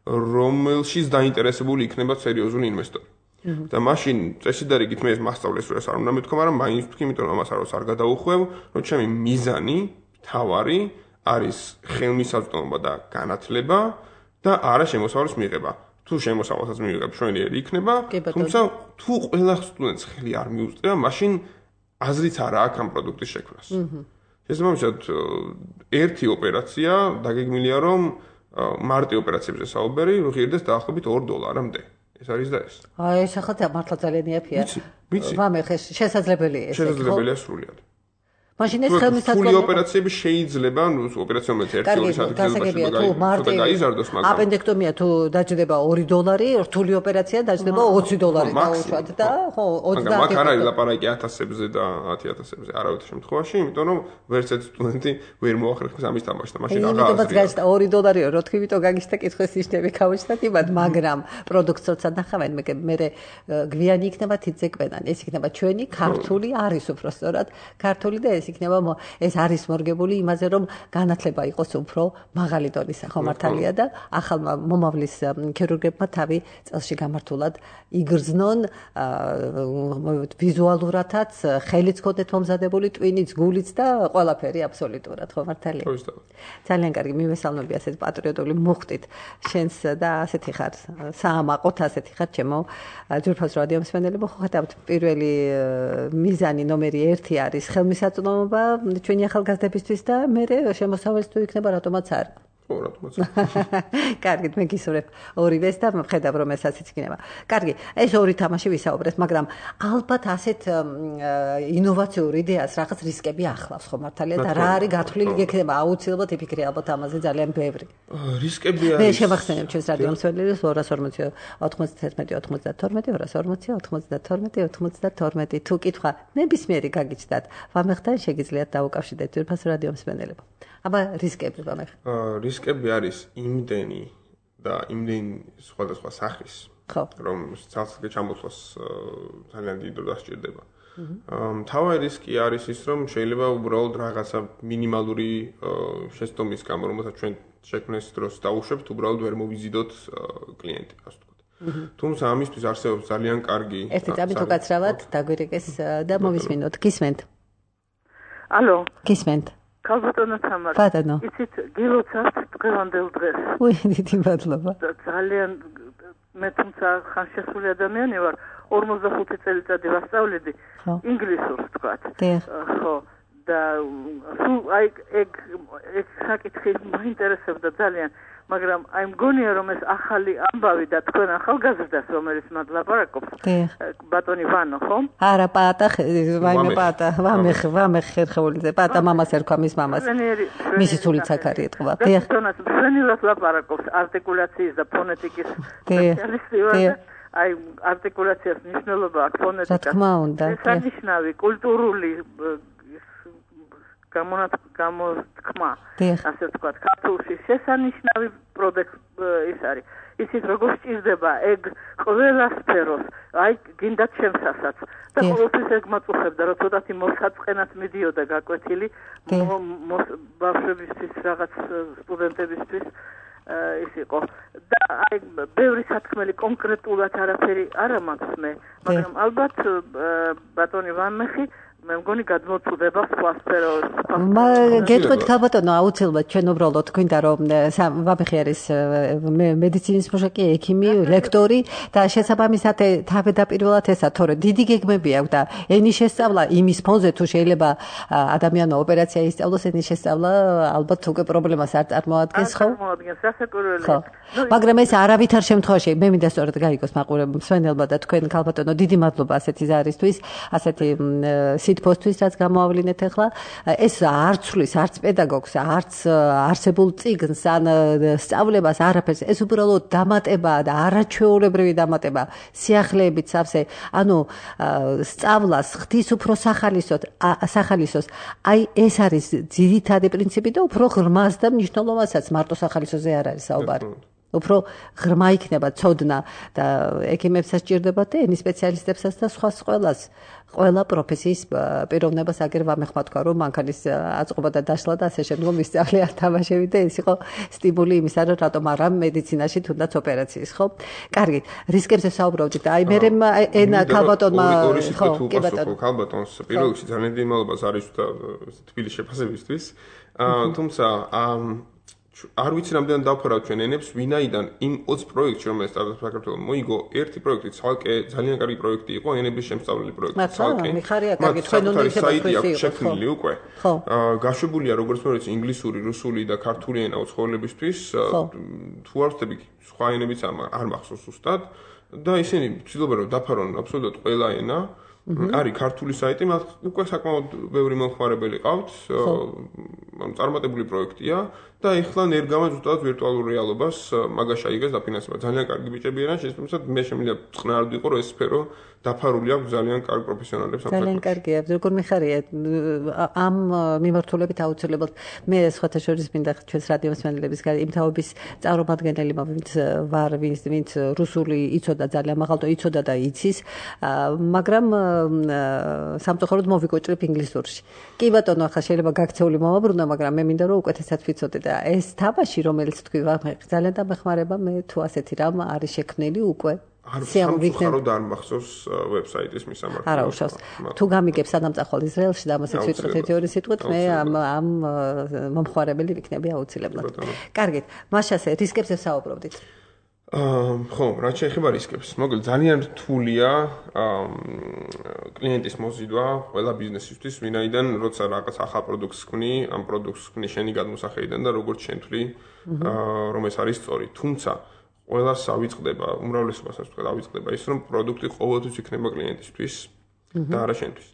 რომელშიც დაინტერესებული იქნება სერიოზული ინვესტორი. და მაშინ წესიდარიგით მე მასწავლეს რომ ეს არ უნდა მეთქვა, მაგრამ მაინც ვთქვი, იმიტომ რომ ამას არ გადავუხვევ, რომ ჩემი მიზანი თავარი არის ხელმისაწვდომობა და განათლება და არა შემოსავლის მიღება. თუ შემოსავალსაც მივიღებ, შვენიერი იქნება, თუმცა თუ ყველა სტუდენტს ხელი არ მიუწევ, მაშინ აზრიც არა აქვს ამ პროდუქტის შექმნას. შესაბამისად, ერთი ოპერაცია დაგეგმილია, რომ მარტი ოპერაციებზე საუბარი ღირდეს დაახლოებით ორ დოლარამდე. ეს არის და ეს. აი, ეს ახლა მართლა ძალიან იაფია. ვამე ხე შესაძლებელია ეს. შესაძლებელია სრულად. მაშინ ეს ხელმისაწვდომი ფული ოპერაციები შეიძლება, ნუ ოპერაცია რომელიც ერთი ორი საათი გრძელდება, გაიზარდოს, მაგრამ აპენდექტომია თუ დაჯდება ორი დოლარი, რთული ოპერაცია დაჯდება ოცი დოლარი დაუშვათ და ხო ოცდაათი. მაგრამ აქ არ არის ლაპარაკი ათასებზე და ათი ათასებზე არავითარ შემთხვევაში, იმიტომ რომ ვერც ერთ სტუდენტი ვერ მოახერხებს ამის თამაშს, მაშინ აღარ აზრია. იმიტომაც გაჩნდა ორი დოლარიო, რო თქვი, იმიტომ გაგიჩნდა კითხვის ნიშნები გავუჩნდათ იმად, მაგრამ პროდუქტს როცა ნახავენ, მე მე გვიანი იქნება თითზე კვედან. ეს იქნება ჩვენი ქართული არის უბრალოდ ქართული და ეს იქნება ეს არის მორგებული იმაზე რომ განათლება იყოს უფრო მაღალი დონის ხო მართალია და ახალ მომავლის ქირურგებმა თავი წელში გამართულად იგრძნონ ვიზუალურათაც ხელიც ქონდეთ მომზადებული ტვინიც გულიც და ყველაფერი აბსოლუტურად ხო მართალია ძალიან კარგი მივესალმები ასეთ პატრიოტული მუხტით შენს და ასეთი ხარ საამაყოთ ასეთი ხარ ჩემო ჯგუფოს რადიო მსმენელებო ხო ხათავთ პირველი მიზანი ნომერი ერთი არის ხელმისაწვდომობა ჩვენი ახალგაზრდებისთვის და მე შემოსავალს თუ იქნება რატომაც არ. ხო, რატომაც. კარგით, მე გისურვებ ორივეს და ხედავ რომ ესაც იქნება. კარგი, ეს ორი თამაში ვისაუბრეთ, მაგრამ ალბათ ასეთ ინოვაციურ იდეას რაღაც რისკები ახლავს ხო მართალია და რა არის გათვლილი გექნება აუცილებლად იფიქრე ალბათ ამაზე ძალიან ბევრი. რისკები არის. მე შევახსენებ ჩვენს რადიო მსმენელებს ორას ორმოცი ოთხმოცდაათი ოცდათორმეტი ორას ორმოცი ოთხმოცდათორმეტი ოცდათორმეტი თუ კითხვა ნებისმიერი გაგიჩნდათ ვამეხთან შეგიძლიათ დაუკავშირდეთ ძვირფას რადიო მსმენელებო. აბა რისკები ვამეხ. რისკები არის იმდენი და იმდენი სხვადასხვა სახის, რომ ცალსახე ჩამოთვლას ძალიან დიდ დროს დასჭირდება. მთავარი რისკი არის ის, რომ შეიძლება უბრალოდ რაღაცა მინიმალური შეცდომის გამო, რომელსაც ჩვენ შექმნის დროს დაუშვებთ, უბრალოდ ვერ მოვიზიდოთ კლიენტი, ასე ვთქვათ. თუმცა ამისთვის არსებობს ძალიან კარგი ერთი წამი თუ გაცრავად, დაგვირეკეს და მოვისმინოთ. გისმენთ? ალო. გისმენთ? ქალბატონო თამარ. ბატონო. იცით, გილოცავთ დღევანდელ დღეს. უი, დიდი მადლობა. ძალიან მე თუმცა ხან შესული ადამიანი ვარ, ორმოცდახუთი წელიწადი ვასწავლები ინგლისურს თქვათ. ხო. და სულ აი ეგ ეგ საკითხი მაინტერესებდა ძალიან, მაგრამ აი მგონია რომ ეს ახალი ამბავი და თქვენ ახალგაზრდას რომელიც მათ ლაპარაკობს ბატონი ვანო ხო? არა პატა ვაიმე პატა ვამეხ ვამეხ ხერხეულიძე პატა მამას ერქვა მის მამას მისი სულიც აქ არის ეთქვა დიახ დონას მშვენივრად ლაპარაკობს არტიკულაციის და ფონეტიკის სპეციალისტი ვარ აი არტიკულაციას მნიშვნელობა აქვს ფონეტიკას რა თქმა უნდა ეს აღნიშნავი კულტურული გამოთქმა ასე ვთქვათ ქართულში შესანიშნავი პროდუქტი ის არის ისიც როგორ სჭირდება ეგ ყველა სფეროს აი გინდა ჩემსასაც და ყოველთვის ეგ მაწუხებდა რომ ცოტათი მოსაწყენად მიდიოდა გაკვეთილი ბავშვებისთვის რაღაც სტუდენტებისთვის ის იყო და აი ბევრი სათქმელი კონკრეტულად არაფერი არა მაქვს მე მაგრამ ალბათ ბატონი ვანმეხი მე მგონი გადმოწუდება სხვა სფეროს. გეტყვით ქალბატონო, აუცილებლად ჩვენ უბრალოდ გვინდა რომ ვამეხი არის მედიცინის მუშაკი, ექიმი, ლექტორი და შესაბამისად თავდაპირველად ესა, თორე დიდი გეგმები აქვს და ენის შესწავლა იმის ფონზე თუ შეიძლება ადამიანო ოპერაცია ისწავლოს, ენის შესწავლა ალბათ უკვე პრობლემას არ წარმოადგენს, ხო? წარმოადგენს, სასაკურველია. მაგრამ ეს არავითარ შემთხვევაში მე მინდა სწორედ გაიგოს მაყურებელმა მსვენელმა და თქვენ ქალბატონო დიდი მადლობა ასეთი ზარისთვის, ასეთი სიტფოსთვის რაც გამოავლინეთ ახლა ეს არ ცვლის არც პედაგოგს არც არსებულ წიგნს ან სწავლებას არაფერს ეს უბრალოდ დამატებაა და არაჩვეულებრივი დამატება სიახლეებით სავსე ანუ სწავლას ხდის უფრო სახალისოდ სახალისოს აი ეს არის ძირითადი პრინციპი და უფრო ღრმას და მნიშვნელოვანსაც მარტო სახალისოზე არ არის საუბარი უფრო ღრმა იქნება ცოდნა და ექიმებსაც ჭირდებათ და ენის სპეციალისტებსაც და სხვა ყველას ყველა პროფესიის პიროვნებას აგერ ვამეხმა თქვა რომ მანქანის აწყობა და დაშლა და ასე შემდგომ ისწავლე თამაშები და ეს იყო სტიმული იმისა რომ რატომ არა მედიცინაში თუნდაც ოპერაციის ხო კარგი რისკებზე საუბრობდით და აი მე ენა ქალბატონმა ხო კი ბატონო ქალბატონს პირველ რიგში ძალიან დიდი მადლობა არის თბილის შეფასებისთვის თუმცა არ ვიცი რამდენად დავფარავ ჩვენ ენებს, ვინაიდან იმ ოცი პროექტში, რომელიც სტარტაპ საქართველოს მოიგო, ერთი პროექტი ცალკე ძალიან კარგი პროექტი იყო, ენების შემსწავლელი პროექტი. ცალკე. მიხარია კარგი, ჩვენ უნდა ისეთი პროექტი შექმნილი უკვე. გაშვებულია როგორც მოიცი ინგლისური, რუსული და ქართული ენა უცხოელებისთვის. თუ არ ვწდები, სხვა ენებიც არ მახსოვს ზუსტად და ისინი ცდილობენ რომ დაფარონ აბსოლუტურად ყველა ენა. არის ქართული საიტი, მათ უკვე საკმაოდ ბევრი მომხმარებელი ყავთ. წარმატებული პროექტია და ეხლა ნერგამა ზუსტად ვირტუალურ რეალობას მაგაში აიღეს დაფინანსება. ძალიან კარგი ბიჭები არიან, შესაბამისად მე შემიძლია წყნარად ვიყო რომ ეს სფერო დაფარული აქვს ძალიან კარგ პროფესიონალებს ამ ძალიან კარგია, როგორ მიხარია ამ მიმართულებით აუცილებლად მე სხვათა შორის მინდა ჩვენს რადიო მსმენელების იმ თაობის წარმომადგენელი ვინც ვარ, ვინც ვინც რუსული იცოდა ძალიან მაღალ და იცოდა და იცის, მაგრამ სამწუხაროდ მოვიკოჭრებ ინგლისურში. კი ბატონო, ახლა შეიძლება გაქცეული მომაბრუნო, მაგრამ მე მინდა რომ უკეთესად ვიცოდე და ეს თამაში რომელიც თქვი ძალიან დამეხმარება მე თუ ასეთი რამ არის შექმნილი უკვე სამწუხაროდ არ მახსოვს ვებსაიტის მისამართი. არა უშავს. თუ გამიგებ სანამწახვალ ისრაელში და ამასაც ვიტყვით ერთი ორი სიტყვით მე ამ ამ მომხმარებელი ვიქნები აუცილებლად. კარგით, მაშასე რისკებზე საუბრობდით. ხო, რაც შეეხება რისკებს, მოკლედ ძალიან რთულია კლიენტის მოზიდვა ყველა ბიზნესისთვის, ვინაიდან როცა რაღაც ახალ პროდუქტს ქმნი, ამ პროდუქტს ქმნი შენი გადმოსახედიდან და როგორც შენთვლი, რომ ეს არის სწორი. თუმცა ყველას ავიწყდება, უმრავლესობასაც თქვა ავიწყდება ის, რომ პროდუქტი ყოველთვის იქნება კლიენტისთვის და არა შენთვის.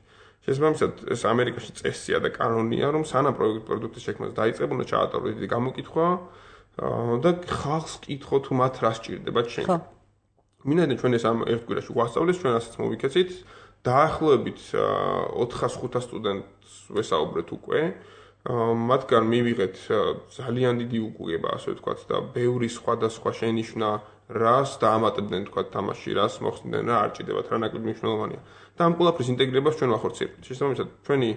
შესაბამისად, ეს ამერიკაში წესია და კანონია, რომ სანამ პროდუქტის შექმნას დაიწყებ, უნდა ჩაატარო დიდი გამოკითხვა და ხალხს კითხო თუ მათ რა სჭირდებათ შენ. მინდა ჩვენ ეს ამ ერთ კვირაში ვასწავლეს, ჩვენ ასეც მოვიქეცით. დაახლოებით ოთხას ხუთას სტუდენტს ვესაუბრეთ უკვე. მათგან მივიღეთ ძალიან დიდი უკუგება, ასე ვთქვათ და ბევრი სხვადასხვა შენიშვნა, რას დაამატებდნენ თქვათ თამაში, რას მოხსნდნენ, რა არ ჭირდებათ, რა ნაკლები მნიშვნელოვანია. და ამ ყველაფრის ინტეგრირებას ჩვენ ვახორციელებთ. შესაბამისად, ჩვენი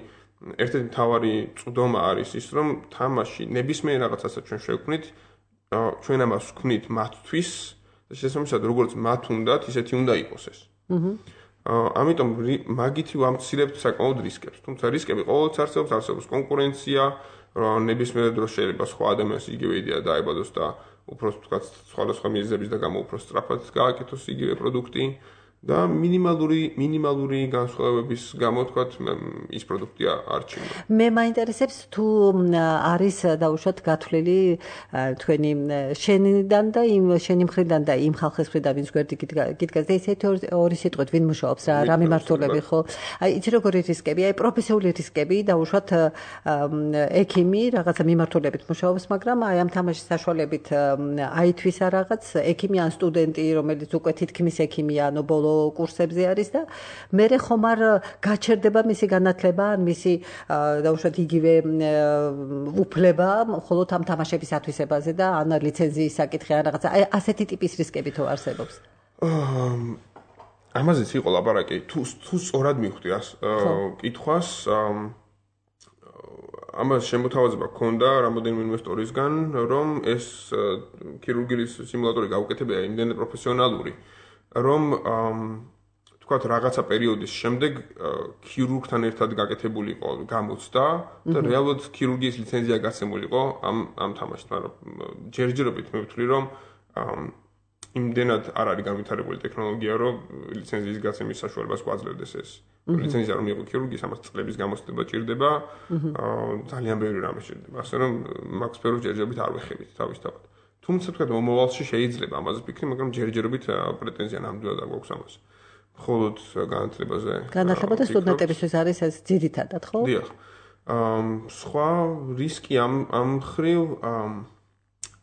ერთ-ერთი მთავარი წვდომა არის ის, რომ თამაში ნებისმიერ რაღაცასაც ჩვენ შევქმნით, ჩვენ ამას ვქმნით მათთვის და შესაბამისად როგორც მათ უნდათ, ისეთი უნდა იყოს ეს. აჰა. ამიტომ მაგითი ვამცირებთ საკმაოდ რისკებს. თუმცა რისკები ყოველთვის არსებობს, არსებობს კონკურენცია, ნებისმიერ დროს შეიძლება სხვა ადამიანს იგივე იდეა დაებადოს და უფრო თქვა სხვადასხვა მიზეზების და გამო უფრო სწრაფად გააკეთოს იგივე პროდუქტი და მინიმალური მინიმალური განსხვავებების გამო თქვა ის პროდუქტია არჩევა. მე მაინტერესებს თუ არის დაუშვათ გათვლილი თქვენი შენიდან და იმ შენი მხრიდან და იმ ხალხის მხრიდან ვინც გვერდი გიდგას და ესეთი ორი სიტყვით ვინ მუშაობს რა რა მიმართულები ხო? აი იცი როგორი რისკები, აი პროფესიული რისკები დაუშვათ ექიმი რაღაცა მიმართულებით მუშაობს, მაგრამ აი ამ თამაშის საშუალებით აითვის რაღაც ექიმი ან სტუდენტი, რომელიც უკვე თითქმის ექიმია, ანუ ბოლო კურსებზე არის და მერე ხომ არ გაჩერდება მისი განათლება, ან მისი დაუშვათ იგივე უფლება, მხოლოდ ამ თამაშების ათვისებაზე და ან ლიცენზიის საკითხი ან რაღაცა. აი ასეთი ტიპის რისკები თუ არსებობს. ამაზეც იყო ლაპარაკი. თუ თუ სწორად მივხვდი კითხვას, ამას შემოთავაზება ქონდა რამოდენიმე ინვესტორისგან, რომ ეს ქირურგიის სიმულატორი გაუკეთებია იმდენად პროფესიონალური, რომ თქვათ რაღაცა პერიოდის შემდეგ ქირურგთან ერთად გაკეთებული იყო გამოცდა და რეალურად ქირურგიის ლიცენზია გაცემული იყო ამ ამ თამაშს, მაგრამ ჯერჯერობით მე ვთვლი, რომ იმდენად არ არის განვითარებული ტექნოლოგია, რომ ლიცენზიის გაცემის საშუალებას გვაძლევდეს ეს. ლიცენზია რომ იყო ქირურგიის, ამას წლების გამოცდება ჭირდება, ძალიან ბევრი რამე ჭირდება. ასე რომ მაგ სფეროს ჯერჯერობით არ ვეხებით თავისთავად. თუმცა თქვა მომავალში შეიძლება ამაზე ვფიქრი, მაგრამ ჯერჯერობით პრეტენზია ნამდვილად არ გვაქვს ამაზე. მხოლოდ განათლებაზე. განათლება და სტუდენტებისთვის არის ეს ძირითადად, ხო? დიახ. სხვა რისკი ამ ამ ხრივ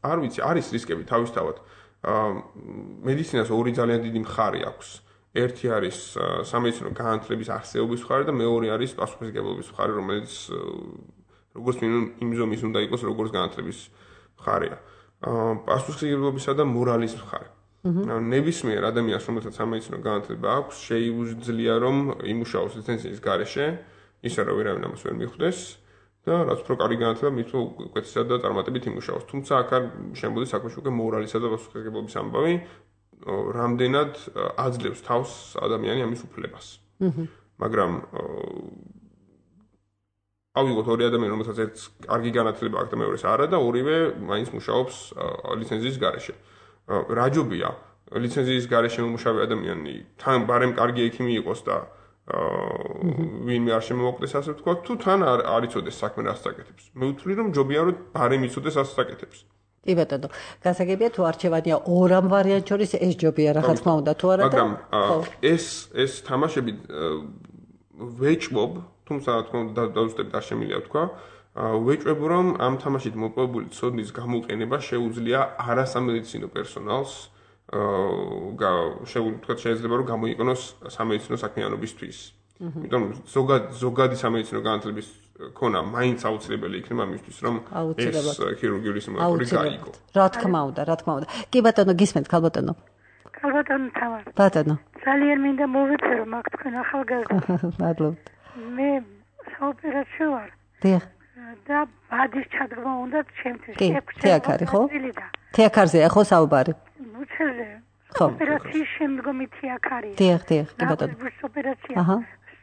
არ ვიცი, არის რისკები თავისთავად. მედიცინას ორი ძალიან დიდი მხარე აქვს. ერთი არის სამედიცინო განათლების არსებობის მხარე და მეორე არის პასუხისმგებლობის მხარე, რომელიც როგორც მინიმუმ იმ ზომის უნდა იყოს, როგორც განათლების მხარეა. პასუხისმგებლობისა და მორალის მხარე. ნებისმიერ ადამიანს, რომელსაც სამედიცინო განათლება აქვს, შეუძლია რომ იმუშაოს ლიცენზიის გარეშე, ისე რომ ვერავინ ამას ვერ მიხვდეს და რაც უფრო კარგი განათლება მით უკეთესად და წარმატებით იმუშაოს. თუმცა აქ არ შემოდის საქმეში უკვე მორალისა და პასუხისმგებლობის ამბავი, რამდენად აძლევს თავს ადამიანი ამის უფლებას. მაგრამ ავიღოთ ორი ადამიანი, რომელსაც ერთს კარგი განათლება აქვს და მეორეს არა და ორივე მაინც მუშაობს ლიცენზიის გარეშე. რაჯობია ლიცენზიის გარეშე მომუშავე ადამიანი თან ბარემ კარგი ექიმი იყოს და ვინმე არ შემოუყვდეს ასე ვთქვა, თუ თან არ იცოდეს საქმე რასაც აკეთებს. მე ვთვლი რომ ჯობია რომ ბარემ იცოდეს რასაც აკეთებს. კი ბატონო, გასაგებია თუ არჩევანია ორ ამ ვარიანტ შორის ეს ჯობია რა თქმა უნდა თუ არა და მაგრამ ეს ეს თამაშები ვეჭვობ, თუმცა რა თქმა უნდა დაუწყებით არ შემიძლია ვთქვა, ვეჭვებ რომ ამ თამაშით მოპოვებული ცოდნის გამოყენება შეუძლია არასამედიცინო პერსონალს შეუძლია შეიძლება რომ გამოიყენოს სამედიცინო საქმიანობისთვის. იმიტომ ზოგად ზოგადი სამედიცინო განათლების ქონა მაინც აუცილებელი იქნება მისთვის რომ ეს ქირურგიული სიმულატორი გაიგო. რა თქმა უნდა, რა თქმა უნდა. კი ბატონო, გისმენთ, ქალბატონო. ქალბატონო თავად. ბატონო. ძალიან მინდა მოვეწერო მაგ თქვენ ახალგაზრდა. მადლობთ. მე საოპერაციო ვარ. დიახ. და ბადის ჩადგმა უნდა ჩემთვის. კი, თეაქ არის, ხო? თეაქარზეა ხო საუბარი? უცელე. ოპერაციის შემდგომი თეაქ არის. დიახ, დიახ, კი ბატონო. ოპერაცია. აჰა.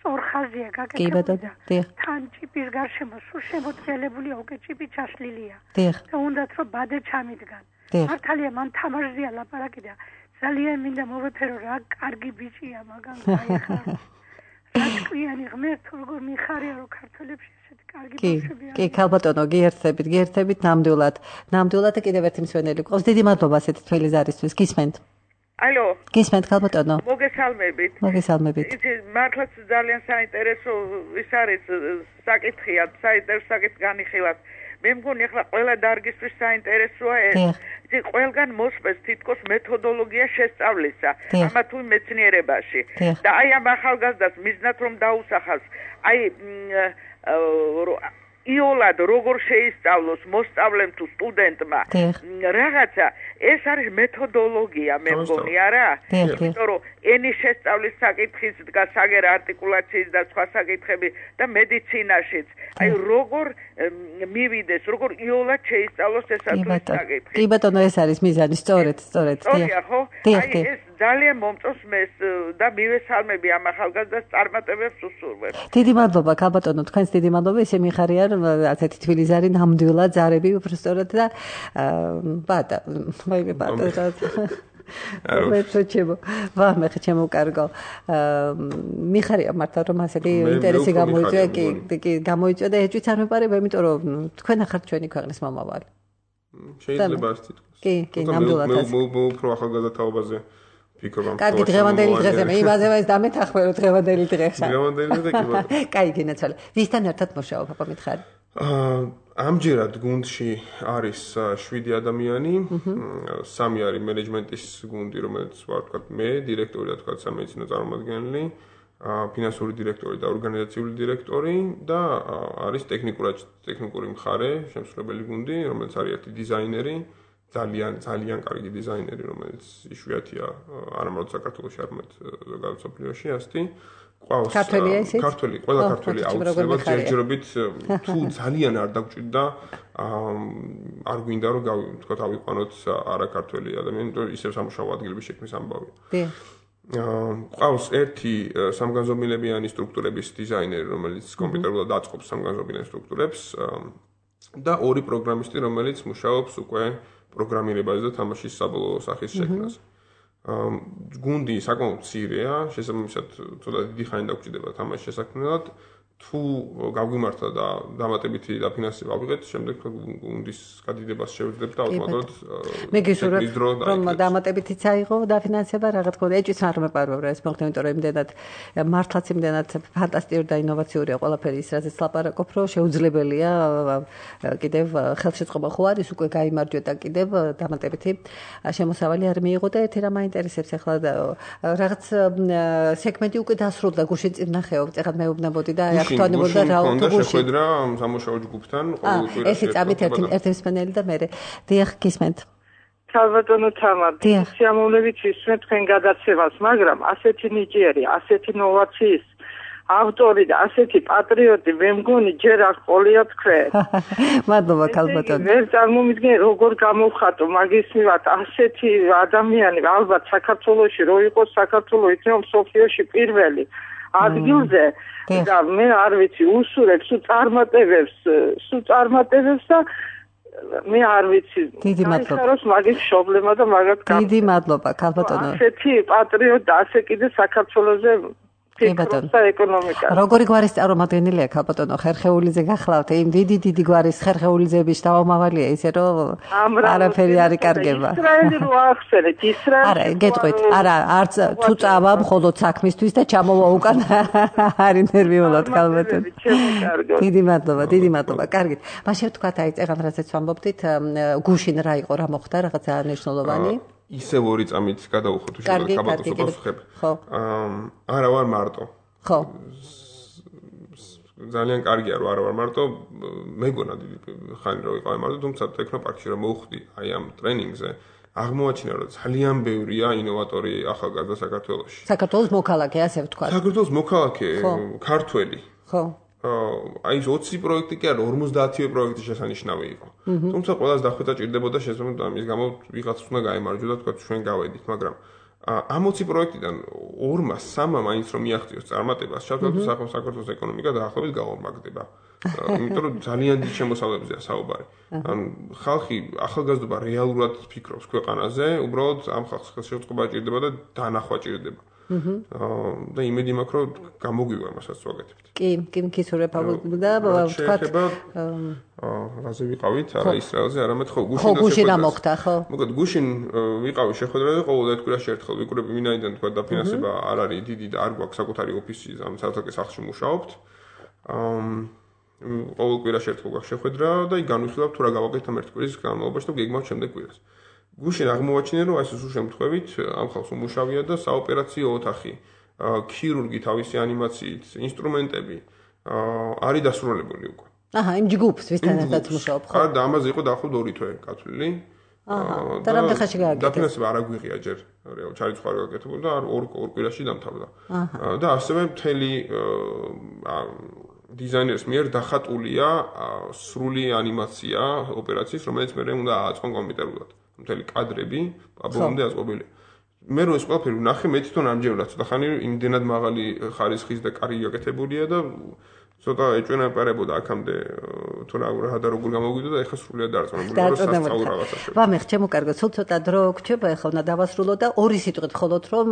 ორხაზია გაკეთებული. კი ბატონო, დიახ. თან ჭიპის გარშემო სულ შემოწელებულია, უკვე ჭიპი ჩაშლილია. დიახ. და უნდათ რომ ბადე ჩამიდგან. დიახ. მართალია მან თამაშზეა ლაპარაკი და ძალიან მინდა მოვეფერო რა კარგი ბიჭია მაგან გაიხარ. რატკვიანი ღმერთ როგორ მიხარია რომ ქართველებში ესეთი კარგი ბავშვები არის. კი, კი, ქალბატონო, გიერთებით, გიერთებით ნამდვილად. ნამდვილად და კიდევ ერთი მსვენელი ყავს. დიდი მადლობა ასეთი თველი ზარისთვის. გისმენთ? ალო. გისმენთ ქალბატონო? მოგესალმებით. მოგესალმებით. იცი, მართლაც ძალიან საინტერესო ის არის საკითხია, საინტერესო საკითხი განიხილავს. მე მგონი ახლა ყველა დარგისთვის საინტერესოა ეს. იცი, ყველგან მოსწეს თითქოს მეთოდოლოგია შესწავლისა, ამა თუ მეცნიერებაში. და აი ამ ახალგაზრდას მიზნად რომ დაუსახავს, აი იოლად როგორ შეისწავლოს მოსწავლემ თუ სტუდენტმა რაღაცა ეს არის მეთოდოლოგია, მე მგონი, არა? იმიტომ რომ ენის შესწავლის საკითხიც დგას, საგერა არტიკულაციის და სხვა საკითხები და მედიცინაშიც. აი როგორ მივიდეს, როგორ იოლად შეისწავლოს ეს საკითხი. კი ბატონო, ეს არის მიზანი, სწორედ, სწორედ. სწორია, ხო? აი ეს ძალიან მომწონს მეს და მივესალმები ამ ახალგაზრდას წარმატებებს უსურვებს. დიდი მადლობა, ქალბატონო, თქვენს დიდი მადლობა, ისე მიხარია, რომ ასეთი თბილისარი ნამდვილად ზარები უბრალოდ და ბატა, მაიმე ბატა. მეცოჩებო, ვა მე ჩემო კარგო. მიხარია მართლა რომ ასეთი ინტერესი გამოიწვია, კი, კი, გამოიწვია და ეჭვიც არ მეპარება, იმიტომ რომ თქვენ ახართ ჩვენი ქვეყნის მომავალი. შეიძლება ასე თქოს. კი, კი, ნამდვილად. მე მე უფრო ახალგაზრდა თაობაზე ფიქრობ ამ. კარგი, დღევანდელი დღეზე მე იმაზე ეს დამეთახმე დღევანდელი დღეა. დღევანდელი დღე კი ბატონო. კაი, გინაცვალე. ვისთან ერთად მუშაობ, აბა მითხარი? აა ამჯერად გუნდში არის შვიდი ადამიანი, სამი არის მენეჯმენტის გუნდი, რომელიც ვარ თქვა მე, დირექტორი და თქვა სამედიცინო წარმომადგენელი, ფინანსური დირექტორი და ორგანიზაციული დირექტორი და არის ტექნიკური ტექნიკური მხარე, შემსრულებელი გუნდი, რომელიც არის ერთი დიზაინერი, ძალიან ძალიან კარგი დიზაინერი, რომელიც იშვიათია არა μόνο საქართველოში, არამედ ზოგადად მსოფლიოში, ასეთი. ყავს ქართველი, ყველა ქართველი აუცილებლად ჯერჯერობით თუ ძალიან არ დაგჭირდა არ გვინდა რომ თქვა ავიყვანოთ არა ქართველი ადამიანი, იმიტომ ისევ სამუშაო ადგილების შექმნის ამბავია. ყავს ერთი სამგანზომილებიანი სტრუქტურების დიზაინერი, რომელიც კომპიუტერულად აწყობს სამგანზომილებიან სტრუქტურებს და ორი პროგრამისტი, რომელიც მუშაობს უკვე პროგრამირებაზე და თამაშის საბოლოო სახის შექმნაზე. გუნდი საკმაოდ მცირეა, შესაბამისად ცოტა დიდი ხანი დაგჭირდება თამაშის შესაქმნელად. თუ გავგვიმართა და დამატებითი დაფინანსება ავიღეთ, შემდეგ გუნდის გადიდებას შევძლებთ და ავტომატურად მე გისურვებ რომ დამატებითიც აიღო დაფინანსება, რა თქმა უნდა, ეჭვიც არ მეპარვებ რა ეს მოხდა, იმიტომ რომ იმდენად მართლაც იმდენად ფანტასტიკური და ინოვაციურია ყველაფერი ის, რაზეც ლაპარაკობ, რომ შეუძლებელია კიდევ ხელშეწყობა ხო არის, უკვე გაიმარჯვეთ და კიდევ დამატებითი შემოსავალი არ მიიღო და ერთი რამ მაინტერესებს ახლა რაღაც სეგმენტი უკვე დასრულდა, გუშინ წინ ნახეობ, ეხლა მეუბნებოდი და გუშინ კონდა შეხვედრა სამუშაო ჯგუფთან ყოველკვირა. ეს წამით ერთი ერთი მსმენელი და მე დიახ გისმენთ. ქალბატონო თამარ, სიამოვნებით ვისმენთ თქვენ გადაცემას, მაგრამ ასეთი ნიჭიერი, ასეთი ნოვაციის ავტორი და ასეთი პატრიოტი მე მგონი ჯერ არ ყოლია თქვენ. მადლობა ქალბატონო. ვერ წარმომიდგენ როგორ გამოვხატო მაგის მივათ ასეთი ადამიანი ალბათ საქართველოში რო იყოს საქართველოს იქნება მსოფლიოში პირველი ადგილზე და მე არ ვიცი უსურებ სულ წარმატებებს სულ წარმატებებს და მე არ ვიცი დიდი მადლობა მაგის პრობლემა და მაგათ დიდი მადლობა ქალბატონო ასეთი პატრიოტ და ასე კიდე საქართველოზე ფიქრობდა ეკონომიკა როგორი გვარის წარმომადგენელია ქალბატონო ხერხეულიძე გახლავთ იმ დიდი დიდი გვარის ხერხეულიძეების დავამავალია ისე რომ არაფერი არ იკარგება ისრაელი რო ახსენეთ ისრაელი არა გეტყვით არა არც თუ წავა მხოლოდ საქმისთვის და ჩამოვა უკან არის ნერვიულად ქალბატონო დიდი მადლობა დიდი მადლობა კარგით მაშინ თქვათ აი წეგან რასაც ვამბობდით გუშინ რა იყო რა მოხდა რაღაცა მნიშვნელოვანი ისევ ორი წამით გადავუხოთ უშუალოდ ქაბატონს უპასუხებ. ხო. არა ვარ მარტო. ხო. ძალიან კარგია რომ არა ვარ მარტო. მეგონა დიდი ხანი რომ ვიყავი მარტო, თუმცა ტექნოპარკში რომ მოვხდი აი ამ ტრენინგზე, აღმოაჩინა რომ ძალიან ბევრია ინოვატორი ახალგაზრდა საქართველოში. საქართველოს მოქალაქე, ასე ვთქვათ. საქართველოს მოქალაქე, ქართველი. ხო. აი ოცი პროექტი კი არა ორმოცდაათი პროექტი შესანიშნავი იყო. თუმცა ყველას დახვეწა ჭირდებოდა შესაძლოა ამის გამო ვიღაც უნდა გაემარჯვა და თქვა ჩვენ გავედით, მაგრამ ამ ოცი პროექტიდან ორმა სამმა მაინც რომ მიაღწიოს წარმატებას, ჩავთვალოთ საქართველოს ეკონომიკა დაახლოებით გაორმაგდება. იმიტომ რომ ძალიან დიდ შემოსავლებზეა საუბარი. ან ხალხი ახალგაზრდობა რეალურად ფიქრობს ქვეყანაზე, უბრალოდ ამ ხალხს ხელშეწყობა ჭირდება და დანახვა ჭირდება. და იმედი მაქვს რომ გამოგვივა მასაც ვაკეთებთ. კი, კი, მკისურებ და ვთქვათ რაზე ვიყავით, არა ისრაელზე, არამედ ხო გუშინ და გუშინ მოხდა, ხო? მოკლედ გუშინ ვიყავი შეხვედრაზე და ყოველ ერთკვირაში ერთხელ ვიკვრები ვინაიდან თქვა დაფინანსება არ არის დიდი და არ გვაქვს საკუთარი ოფისი ამ საერთო სახლში მუშაობთ. ყოველ კვირაში ერთხელ გვაქვს შეხვედრა და იქ განვიხილავთ თუ რა გავაკეთეთ ამ ერთ კვირის განმავლობაში და გეგმავთ შემდეგ კვირას. გუშინ აღმოაჩინე რომ ეს სულ შემთხვევით ამ ხალხს უმუშავია და საოპერაციო ოთახი, ქირურგი თავისი ანიმაციით, ინსტრუმენტები არის დასრულებული უკვე. აჰა, იმ ჯგუფს ვისთან ერთად მუშაობ ხო? არა, და ამაზე იყო დაახლოებით ორი თვე გათვლილი. აჰა. და რამდენ ხანში გააკეთე? დაფინანსება არ აგვიღია ჯერ, რეალ ჩარიცხვა გააკეთებოდა და ორ ორ კვირაში დამთავრდა. და ასევე მთელი დიზაინერის მიერ დახატულია სრული ანიმაცია ოპერაციის, რომელიც მე უნდა ააწყონ კომპიუტერულად. მთელი კადრები აბოლომდე აწყობილია. მე რო ეს ყველაფერი ვნახე, მე თვითონ ამჯერად ცოტა ხანი იმდენად მაღალი ხარისხის და კარი გაკეთებულია და ცოტა ეჭვენაპარებოდა აქამდე თუ რა რა და როგორ გამოგვიდა და ეხლა სრულიად დაარწმუნებული ვარ რომ სასწავლო რაღაცა შევა. ვამეხ, ჩემო კარგო, სულ ცოტა დრო გრჩება, ეხლა უნდა დავასრულო და ორი სიტყვით მხოლოდ რომ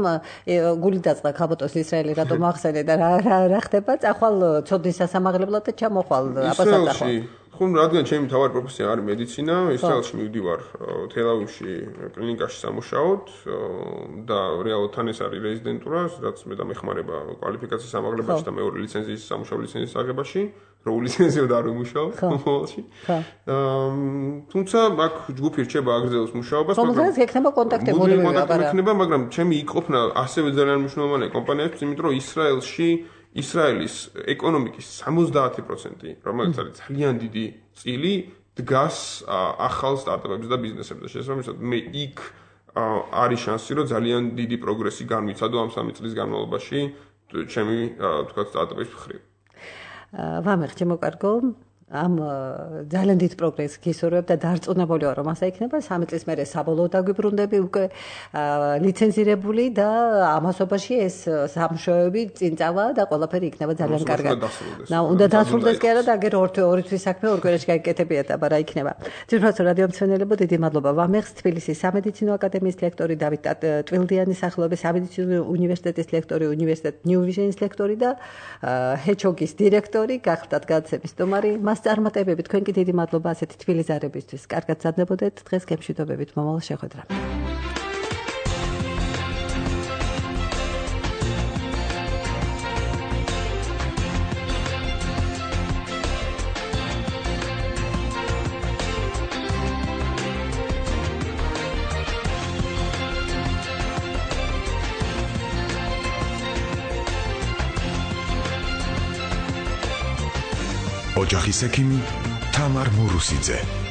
გული დაწყდა ქაბოტოს ისრაელი რატომ ახსენე და რა რა ხდება, წახვალ ცოდნის სასამაღლებლად და ჩამოხვალ აბასატახო. ხომ რადგან ჩემი თავარი პროფესია არის მედიცინა, ისრაელში მივდივარ თელ-ავივში კლინიკაში სამუშაოდ და რეალურად თან ეს არის რეზიდენტურა, რაც მე დამეხმარება კვალიფიკაციის ამაღლებაში და მეორე ლიცენზიის სამუშაო ლიცენზიის აღებაში, რო ლიცენზიოდ არ ვიმუშაო მომავალში. თუმცა აქ ჯგუფი რჩება აგრძელოს მუშაობას, მაგრამ გექნება კონტაქტები მოდები, გექნება, მაგრამ ჩემი იყოფნა ასევე ძალიან მნიშვნელოვანია კომპანიებს, იმიტომ რომ ისრაელში ისრაელის ეკონომიკის სამოცდაათი პროცენტი, რომელიც არის ძალიან დიდი წილი, დგას ახალ სტარტაპებზე და ბიზნესებზე. შესაბამისად, მე იქ არის შანსი, რომ ძალიან დიდი პროგრესი განვიცადო ამ სამი წლის განმავლობაში ჩემი თქვა სტარტაპის მხრივ. ვამეხ, ჩემო კარგო, ამ ძალიან დიდ პროგრესს გისურვებ და დარწმუნებული ვარ, რომ ასე იქნება. სამი წლის მერე საბოლოოდ დაგვიბრუნდები უკვე ლიცენზირებული და ამასობაში ეს სამუშაოები წინ წავა და ყველაფერი იქნება ძალიან კარგად. და უნდა დასრულდეს კი არა და აგერ ორი თვის საქმე ორ კვირაში გაიკეთებიათ, აბა რა იქნება. ძირფასო რადიო მცენელებო, დიდი მადლობა. ვამეხს თბილისის სამედიცინო აკადემიის ლექტორი დავით ტვილდიანის სახელობის სამედიცინო უნივერსიტეტის ლექტორი, უნივერსიტეტ ნიუ ვიჟენის ლექტორი და ჰეჩოგის დირექტორი, გახდათ გადაცემის სტუმარი. წარმატებები თქვენ კი დიდი მადლობა ასეთი თბილი ზარებისთვის. კარგად სცადდებოდეთ დღეს გემშვიდობებით მომავალ შეხვედრამდე. ოჯახის ექიმი თამარ მურუსიძე.